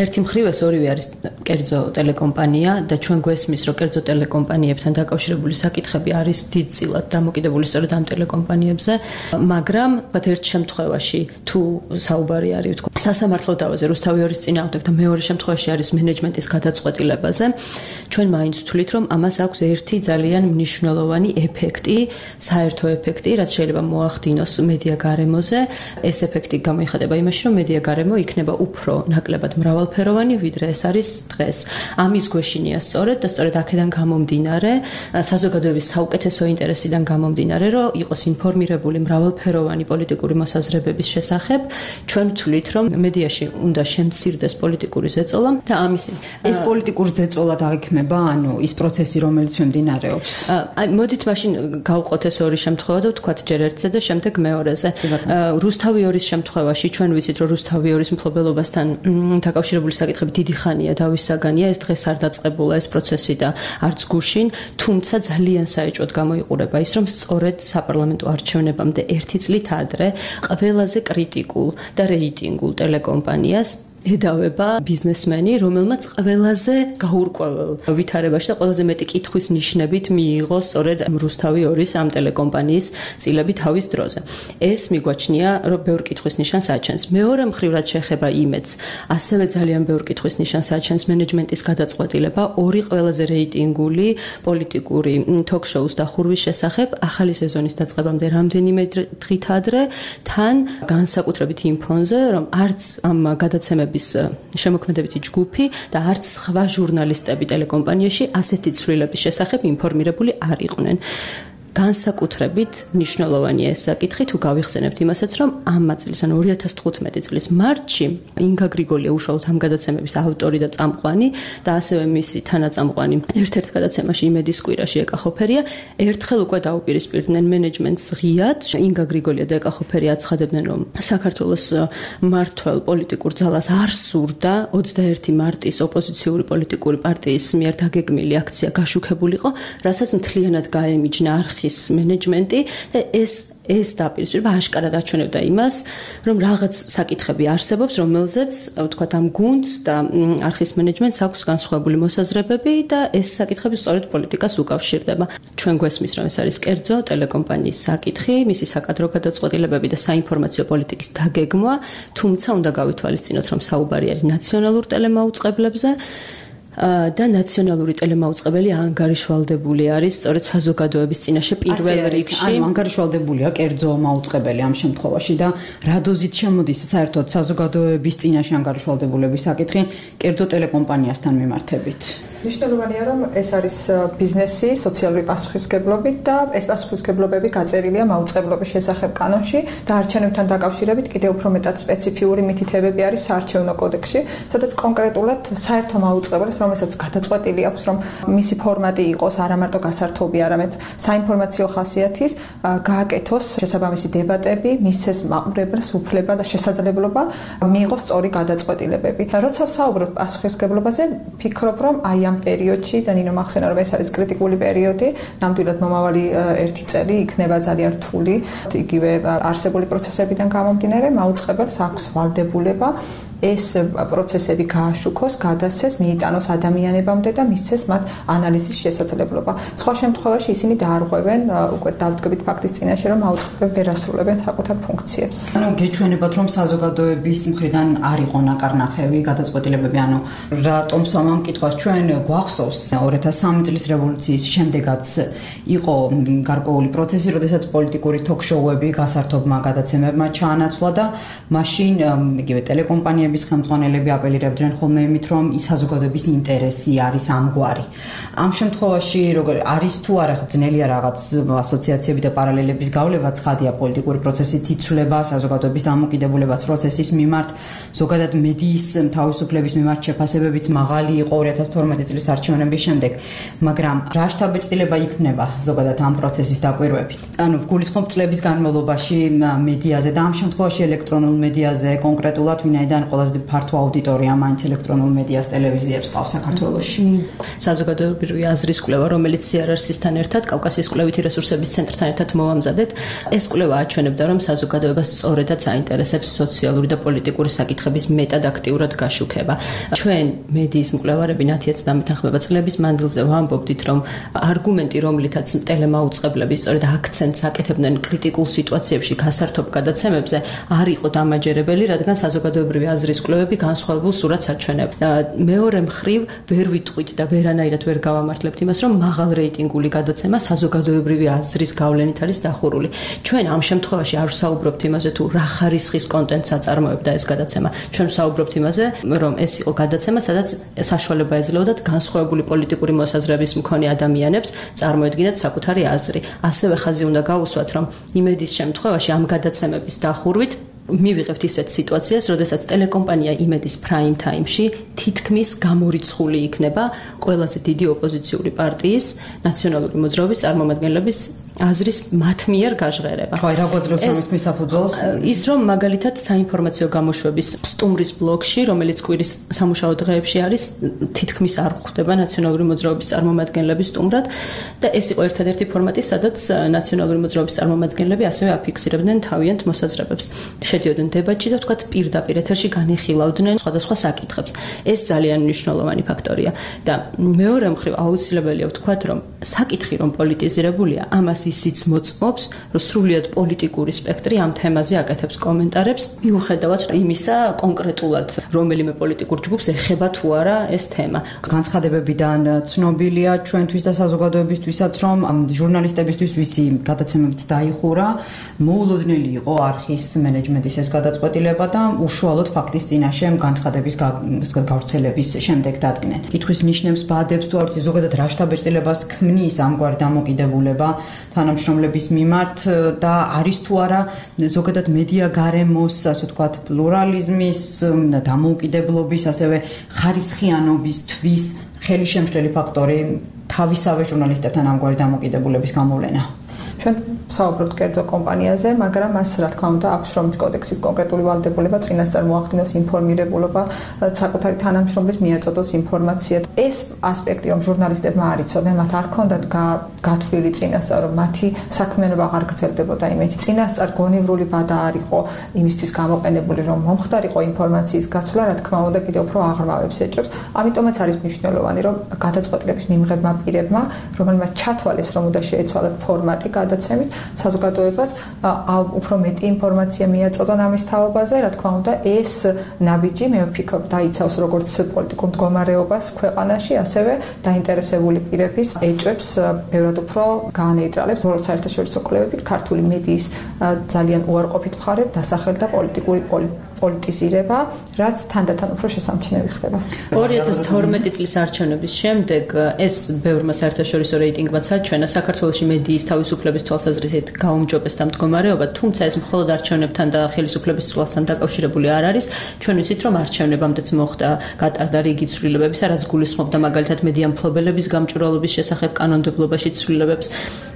Speaker 7: ერთი მხრივ ეს ორივე არის კერძო ტელეკომპანია და ჩვენ გვესმის, რომ კერძო ტელეკომპანიებთან დაკავშირებული საკითხები არის დიდწილად დამოკიდებული სწორედ ამ ტელეკომპანიებზე, მაგრამ ვთქვათ ერთ შემთხვევაში თუ საუბარი არის ვთქვათ სასამართლო დავაზე რუსთავი ორის წინააღმდეგ და მეორე შემთხვევაში არის მენეჯმენტის გადაწყვეტილებაზე, ჩვენ მაინც ვთვლით, რომ ამას აქვს ერთი ძალიან მნიშვნელოვანი ეფექტი, საერთო ეფექტი, რაც შეიძლება მოახდინოს მედია გარემოზე. ეს ეფექტი გამოიხატება იმაში, რომ მედია გარემო იქნება უფრო ნაკლებად მრავალფეროვანი, ვიდრე ეს არის დღეს. ამის გვეშინია სწორედ და სწორედ აქედან გამომდინარე, საზოგადოების საუკეთესო ინტერესიდან გამომდინარე, რომ იყოს ინფორმირებული მრავალფეროვანი პოლიტიკური მოსაზრებების შესახებ, ჩვენ ვთვლით, რომ მედიაში უნდა შემცირდეს პოლიტიკური ზეწოლა და ამისი
Speaker 6: ეს პოლიტიკურ ზეწოლად აღიქმება, ანუ ის პროცესი, რომელიც მიმდინარეობს.
Speaker 7: აი, მოდით მაშინ გავყოთ ეს ორი შემთხვევა და ვთქვათ ჯერ ერთზე და შემდეგ მეორეზე. რუსთავი ორის შემთხვევაში ჩვენ ვიცით, რომ რუსთავი ორის მფლობელობასთან დაკავშირებული საკითხები დიდი ხანია დავის საგანია, ეს დღეს არ დაწყებულა ეს პროცესი და არც გუშინ, თუმცა ძალიან საეჭვოდ გამოიყურება ის, რომ სწორედ საპარლამენტო არჩევნებამდე ერთი წლით ადრე ყველაზე კრიტიკულ და რეიტინგულ ტელეკომპანიას ედავება ბიზნესმენი, რომელმაც ყველაზე გაურკვეველ ვითარებაში და ყველაზე მეტი კითხვის ნიშნებით მიიღო სწორედ რუსთავი ორის ამ ტელეკომპანიის წილები თავის დროზე. ეს მიგვაჩნია, რომ ბევრ კითხვის ნიშანს აჩენს. მეორე მხრივ, რაც შეეხება იმედს, ასევე ძალიან ბევრ კითხვის ნიშანს აჩენს მენეჯმენტის გადაწყვეტილება ორი ყველაზე რეიტინგული პოლიტიკური თოქ-შოუს დახურვის შესახებ ახალი სეზონის დაწყებამდე რამდენიმე დღით ადრე, თან განსაკუთრებით იმ ფონზე, რომ არც ამ გადაცემების შემოქმედებითი ჯგუფი და არც სხვა ჟურნალისტები ტელეკომპანიაში ასეთი ცვლილების შესახებ ინფორმირებული არ იყვნენ. განსაკუთრებით მნიშვნელოვანია ეს საკითხი, თუ გავიხსენებთ იმასაც, რომ ამ წლის, ანუ ორი ათას თხუთმეტი წლის მარტში ინგა გრიგოლია უშუალოდ ამ გადაცემების ავტორი და წამყვანი და ასევე მისი თანაწამყვანი ერთ-ერთ გადაცემაში იმედის კვირაში ეკა ხოფერია, ერთხელ უკვე დაუპირისპირდნენ მენეჯმენტს ღიად. ინგა გრიგოლია და ეკა ხოფერი აცხადებდნენ, რომ საქართველოს მმართველ პოლიტიკურ ძალას არ სურდა ოცდაერთი მარტის ოპოზიციური პოლიტიკური პარტიის მიერ დაგეგმილი აქცია გაშუქებულიყო, რასაც მთლიანად გაემიჯნა არხი მენეჯმენტი და ეს ეს დაპირისპირება აშკარად აჩვენებდა იმას, რომ რაღაც საკითხები არსებობს, რომელზეც ვთქვათ ამ გუნდს და არხის მენეჯმენტს აქვს განსხვავებული მოსაზრებები და ეს საკითხები სწორედ პოლიტიკას უკავშირდება. ჩვენ გვესმის, რომ ეს არის კერძო ტელეკომპანიის საკითხი, მისი საკადრო გადაწყვეტილებები და საინფორმაციო პოლიტიკის დაგეგმვა, თუმცა უნდა გავითვალისწინოთ, რომ საუბარი არის ნაციონალურ ტელემაუწყებლებზე. და ნაციონალური ტელემაუწყებელი ანგარიშვალდებული არის სწორედ საზოგადოების წინაშე პირველ რიგში.
Speaker 6: ანუ ანგარიშვალდებულია კერძო მაუწყებელი ამ შემთხვევაში და რა დოზით შემოდის საერთოდ საზოგადოების წინაშე ანგარიშვალდებულების საკითხი კერძო ტელეკომპანიასთან მიმართებით?
Speaker 1: მნიშვნელოვანია, რომ ეს არის ბიზნესი სოციალური პასუხისმგებლობით და ეს პასუხისმგებლობები გაწერილია მაუწყებლობის შესახებ კანონში და არჩევნებთან დაკავშირებით კიდევ უფრო მეტად სპეციფიური მითითებები არის საარჩევნო კოდექსში, სადაც კონკრეტულად საერთო მაუწყებელს, რომელსაც გადაწყვეტილი აქვს, რომ მისი ფორმატი იყოს არა მარტო გასართობი, არამედ საინფორმაციო ხასიათის, გააკეთოს შესაბამისი დებატები, მისცეს მაყურებელს უფლება და შესაძლებლობა მიიღოს სწორი გადაწყვეტილებები. როცა ვსაუბრობ პასუხისმგებლობაზე, ფიქრობ, რომ აი ამ პერიოდში და ნინო მახსენა რომ ეს არის კრიტიკული პერიოდი, ნამდვილად მომავალი ერთი წელი იქნება ძალიან რთული, იგივე არსებული პროცესებიდან გამომდინარე, მაუწყებელს აქვს ვალდებულება ეს პროცესები გააშუქოს, გადასცეს, მიიტანოს ადამიანებამდე და მისცეს მათ ანალიზის შესაძლებლობა. სხვა შემთხვევაში ისინი დაარღვევენ უკვე დავდგებით ფაქტის წინაშე, რომ მაუწყებლები ვერ ასრულებენ საკუთარ ფუნქციებს.
Speaker 6: ანუ გეჩვენებათ, რომ საზოგადოების მხრიდან არ იყო ნაკარნახევი გადაწყვეტილებები, ანუ რატომ ამ კითხვას ჩვენ გვახსოვს ორი ათას სამი წლის რევოლუციის შემდეგაც იყო გარკვეული პროცესი, როდესაც პოლიტიკური თოქ-შოუები გასართობმა გადაცემებმა ჩაანაცვლა და მაშინ იგივე ტელეკომპანიები ხელმძღვანელები აპელირებდნენ ხოლმე იმით, რომ ის საზოგადოების ინტერესი არის ამგვარი. ამ შემთხვევაში როგორ არის თუ არა ძნელია რაღაც ასოციაციები და პარალელების გავლება, ცხადია პოლიტიკური პროცესის იცვლება, საზოგადოების დამოკიდებულებას პროცესის მიმართ, ზოგადად მედიის თავისუფლების მიმართ შეფასებებიც მაღალი იყო ორი ათას თორმეტი წლის არჩევნების შემდეგ, მაგრამ რა შთაბეჭდილება იქნება ზოგადად ამ პროცესის დაკვირვებით? ანუ ვგულისხმობ წლების განმავლობაში მედიაზე და ამ შემთხვევაში ელექტრონულ მედიაზე კონკრეტულად, ვინაიდან ყველაზე ფართო აუდიტორია მაინც ელექტრონულ მედიას, ტელევიზიებს ყავს საქართველოში.
Speaker 7: საზოგადოებრივი აზრის კვლევა, რომელიც სი არ ар-სთან ერთად კავკასიის კვლევითი რესურსების ცენტრთან ერთად მოვამზადეთ, ეს კვლევა აჩვენებდა, რომ საზოგადოებას სწორედაც აინტერესებს სოციალური და პოლიტიკური საკითხების მეტად აქტიურად გაშუქება. ჩვენ მედიის მკვლევარები ნათიაც დამეთანხმება წლების მანძილზე ვამბობდით, რომ არგუმენტი, რომლითაც ტელემაუწყებლები სწორედ აქცენტს აკეთებდნენ კრიტიკულ სიტუაციებში გასართობ გადაცემებზე, არ იყო დამაჯერებელი, რადგან საზოგადოებრივი აზრის კვლევები განსხვავებულ სურათს აჩვენებდა. მეორე მხრივ ვერ ვიტყვით და ვერანაირად ვერ გავამართლებთ იმას, რომ მაღალ რეიტინგული გადაცემა საზოგადოებრივი აზრის გავლენით არის დახურული. ჩვენ ამ შემთხვევაში არ ვსაუბრობთ იმაზე, თუ რა ხარისხის კონტენტს აწარმოებდა ეს გადაცემა. ჩვენ ვსაუბრობთ იმაზე, რომ ეს იყო გადაცემა, სადაც საშუალება ეძლეოდათ განსხვავებული პოლიტიკური მოსაზრების მქონე ადამიანებს წარმოედგინათ საკუთარი აზრი. ასევე ხაზი უნდა გაუსვათ, რომ იმედის შემთხვევაში ამ გადაცემების დახურვით მივიღებთ ისეთ სიტუაციას, როდესაც ტელეკომპანია იმედის prime time-ში თითქმის გამორიცხული იქნება ყველაზე დიდი ოპოზიციური პარტიის ნაციონალური მოძრაობის წარმომადგენლების აზრის მათ მიერ გაჟღერება.
Speaker 6: ხო, რა გვაძლევს ამით მისაფუძველს?
Speaker 7: ის რომ მაგალითად საინფორმაციო გამოშვების სტუმრის ბლოკში, რომელიც კვირის სამუშაო დღეებში არის, თითქმის არ ხვდება ნაციონალური მოძრაობის წარმომადგენლების სტუმრად და ეს იყო ერთადერთი ფორმატი, სადაც ნაციონალური მოძრაობის წარმომადგენლები ასევე აფიქსირებდნენ თავიანთ მოსაზრებებს. შედიოდნენ დებატში და თქვათ პირდაპირ ეთერში განიხილავდნენ სხვადასხვა საკითხებს. ეს ძალიან მნიშვნელოვანი ფაქტორია და მეორე მხრივ აუცილებელია ვთქვათ, რომ საკითხი რომ პოლიტიზირებულია, ამას ისიც მოწმობს, რომ სრულიად პოლიტიკური სპექტრი ამ თემაზე აკეთებს კომენტარებს, მიუხედავად იმისა კონკრეტულად რომელიმე პოლიტიკურ ჯგუფს ეხება თუ არა ეს თემა.
Speaker 6: განცხადებებიდან ცნობილია ჩვენთვის და საზოგადოებისთვისაც, რომ ჟურნალისტებისთვის ვისი გადაცემებიც დაიხურა, მოულოდნელი იყო არხის მენეჯმენტის ეს გადაწყვეტილება და უშუალოდ ფაქტის წინაშე განცხადების გავრცელების შემდეგ დადგნენ. კითხვის ნიშნებს ბადებს თუ არც ზოგადად რა შთაბეჭდილებას ქმნის ამგვარი დამოკიდებულება თანამშრომლების მიმართ და არის თუ არა ზოგადად მედია გარემოს, ასე ვთქვათ, პლურალიზმის, დამოუკიდებლობის, ასევე ხარისხიანობისთვის ხელისშემშლელი ფაქტორი თავისავე ჟურნალისტებთან ამგვარი დამოკიდებულების გამოვლენა.
Speaker 1: ჩვენ საუბრობთ კერძო კომპანიაზე, მაგრამ მას რა თქმა უნდა აქვს შრომის კოდექსის კონკრეტული ვალდებულება, წინასწარ მოახდინოს ინფორმირებულობა, საკუთარი თანამშრომლის მიაწოდოს ინფორმაცია. ეს ასპექტი, რომ ჟურნალისტებმა არ იცოდნენ, მათ არ ჰქონდათ გათვლილი წინასწარ, რომ მათი საქმიანობა აღარ გრძელდებოდა იმედში. წინასწარ გონივრული ვადა არ იყო იმისთვის გამოყენებული, რომ მომხდარიყო ინფორმაციის გაცვლა, რა თქმა უნდა, კიდევ უფრო აღრმავებს ეჭვებს. ამიტომაც არის მნიშვნელოვანი, რომ გადაწყვეტილების მიმღებმა პირებმა, რომელმაც ჩათვალეს, რომ უნდა შეეცვალათ ფორმატი გადაცემით, საზოგადოებას უფრო მეტი ინფორმაცია მიაწოდონ ამის თაობაზე, რა თქმა უნდა, ეს ნაბიჯი მე ვფიქრობ დაიცავს როგორც პოლიტიკურ მდგომარეობას ქვეყანაში, ასევე დაინტერესებული პირების ეჭვებს ბევრად უფრო გაანეიტრალებს. ბოლო საერთაშორისო კვლევებით ქართული მედიის ძალიან უარყოფით მხარედ დასახელდა პოლიტიკური პოლიტიზირება, რაც თანდათან უფრო შესამჩნევი ხდება.
Speaker 7: ორი ათას თორმეტი წლის არჩევნების შემდეგ ეს ბევრმა საერთაშორისო რეიტინგმაც აჩვენა საქართველოში მედიის თავისუფლების თვალსაზრისით გაუმჯობესდა მდგომარეობა, თუმცა ეს მხოლოდ არჩევნებთან და ხელისუფლების ცვლასთან დაკავშირებული არ არის. ჩვენ ვიცით, რომ არჩევნებამდეც მოხდა გატარდა რიგი ცვლილებები, რაც გულისხმობდა მაგალითად მედია მფლობელების გამჭვირვალობის შესახებ კანონმდებლობაში ცვლილებებს.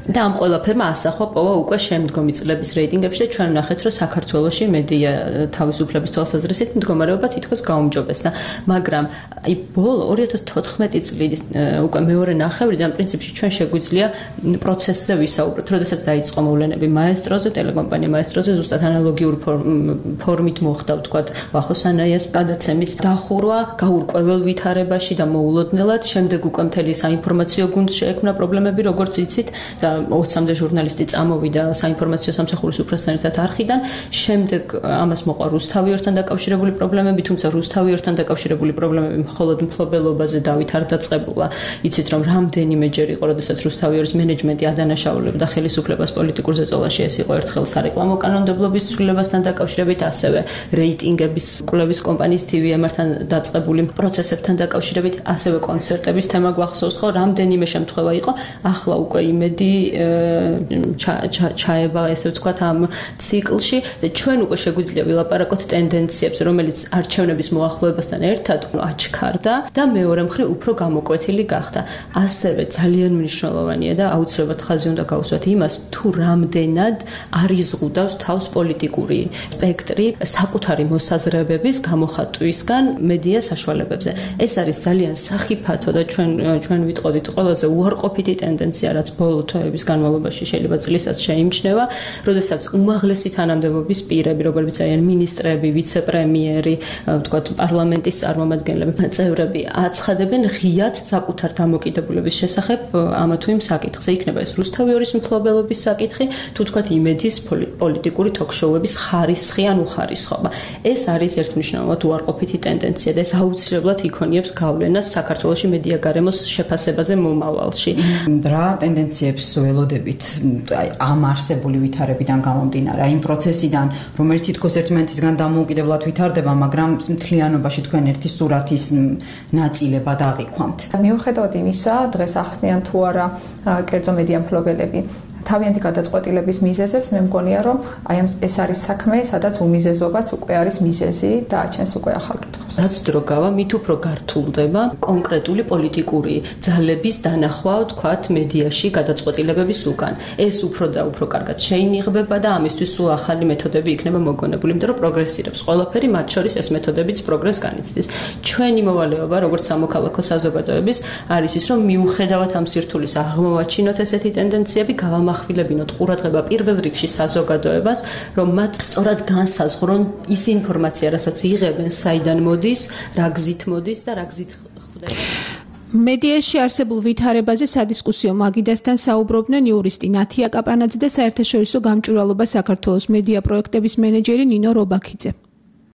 Speaker 7: და ამ ყველაფერმა ასახვა პოვა უკვე შემდგომი წლების რეიტინგებში და ჩვენ ვნახეთ, რომ საქართველოში მედია თავისუფლების თვალსაზრისით მდგომარეობა თითქოს გაუმჯობესდა, მაგრამ აი ბოლო ორი ათას თოთხმეტი წლის უკვე მეორე ნახევრიდან პრინციპში ჩვენ შეგვიძლია პროცესზე ვისაუბროთ, როდესაც დაიწყო მოვლენები მაესტროზე, ტელეკომპანია მაესტროზე, ზუსტად ანალოგიურ ფორმით მოხდა, ვთქვათ, ვახოსანაიას გადაცემის დახურვა, გაურკვეველ ვითარებაში და მოულოდნელად, შემდეგ უკვე მთელი საინფორმაციო გუნდს შეექმნა პრობლემები, როგორც იცით, და ოცამდე ჟურნალისტი წამოვიდა საინფორმაციო სამსახურის უფროსთან ერთად არხიდან, შემდეგ ამას მოყვა რუსთავიორთან დაკავშირებული პრობლემები, თუმცა რუსთავიორთან დაკავშირებული პრობლემები მხოლოდ მფლობელობაზე დავით არ დაწყებულა. იცით, რომ რამდენიმეჯერ იყო, როდესაც რუსთავიორის მენეჯმენტი ადანაშაულებდა ხელისუფლებას პოლიტიკურ ზეწოლაში, ეს იყო ერთხელ სარეკლამო კანონმდებლობის ცვლილებასთან დაკავშირებით, ასევე რეიტინგების კვლევის კომპანიის თი ვი ემ-თან დაწყებული პროცესებთან დაკავშირებით, ასევე კონცერტების თემა გვახსოვს, ხო, რამდენიმე შემთხვევა იყო, ახლა უკვე იმედი ჩაება, ესე ვთქვათ, ამ ციკლში და ჩვენ უკვე შეგვიძლია ვილაპარაკოთ ტენდენციებს, რომელიც არჩევნების მოახლოებასთან ერთად აჩქარდა და მეორე მხრივ უფრო გამოკვეთილი გახდა. ასევე ძალიან მნიშვნელოვანია და აუცილებლად ხაზი უნდა გაუსვათ იმას, თუ რამდენად არიზღუდავს თავს პოლიტიკური სპექტრი საკუთარი მოსაზრებების გამოხატვისგან მედია საშუალებებზე. ეს არის ძალიან სახიფათო და ჩვენ ჩვენ ვიტყოდით ყველაზე უარყოფითი ტენდენცია, რაც ბოლო თვეების განმავლობაში შეიძლება წლისაც შეიმჩნევა, როდესაც უმაღლესი თანამდებობის პირები, როგორიც არიან მინისტრები, ვიცე-პრემიერი, ვთქვათ, პარლამენტის წარმომადგენლები, წევრები, აცხადებენ ღიად საკუთარ დამოკიდებულების შესახებ ამა თუ იმ საკითხზე. იქნება ეს რუსთავიორის მფლობელობის საკითხი, თუ თქვათ იმედის პოლიტიკური თოქ-შოუების ხარისხი ან უხარისხობა. ეს არის ერთმნიშვნელოვნად უარყოფითი ტენდენცია და ეს აუცილებლად იქონიებს გავლენას საქართველოში მედია გარემოს შეფასებაზე მომავალში.
Speaker 6: რა ტენდენციებს ველოდებით ამ არსებული ვითარებიდან გამომდინარე, იმ პროცესიდან, რომელიც თითქოს ერთმანეთისგან დამოუკიდებლად ვითარდება, მაგრამ მთლიანობაში თქვენ ერთი სურათის ნაწილებად აღიქვამთ.
Speaker 1: მიუხედავად იმისა, დღეს ახსნიან თუ არა კერძო მედია მფლობელები თავიანთი გადაწყვეტილების მიზეზებს მე მგონია რომ აი ეს არის საქმე, სადაც უმიზეზობაც უკვე არის მიზეზი და აჩენს უკვე ახალ კითხვებს.
Speaker 7: რაც დრო გავა, მით უფრო გართულდება კონკრეტული პოლიტიკური ძალების დანახვა, თქვათ, მედიაში გადაწყვეტილებების უკან. ეს უფრო და უფრო კარგად შეინიღბება და ამისთვის სულ ახალი მეთოდები იქნება მოგონებული, იმიტომ რომ პროგრესირებს ყველაფერი, მათ შორის ეს მეთოდებიც პროგრესს განიცდის. ჩვენი მოვალეობა, როგორც სამოქალაქო საზოგადოების, არის ის, რომ მიუხედავად ამ სირთულის აღმოვაჩინოთ ესეთი ტენდენციები, გავამახვილებინოთ ყურადღება პირველ რიგში საზოგადოებას, რომ მათ სწორად განსაზღვრონ ის ინფორმაცია, რასაც იღებენ, საიდან მოდის, რა გზით მოდის და რა გზით ხვდება.
Speaker 4: მედიაში არსებულ ვითარებაზე სადისკუსიო მაგიდასთან საუბრობდნენ იურისტი ნათია კაპანაძე და საერთაშორისო გამჭვირვალობა საქართველოს მედია პროექტების მენეჯერი ნინო რობაქიძე.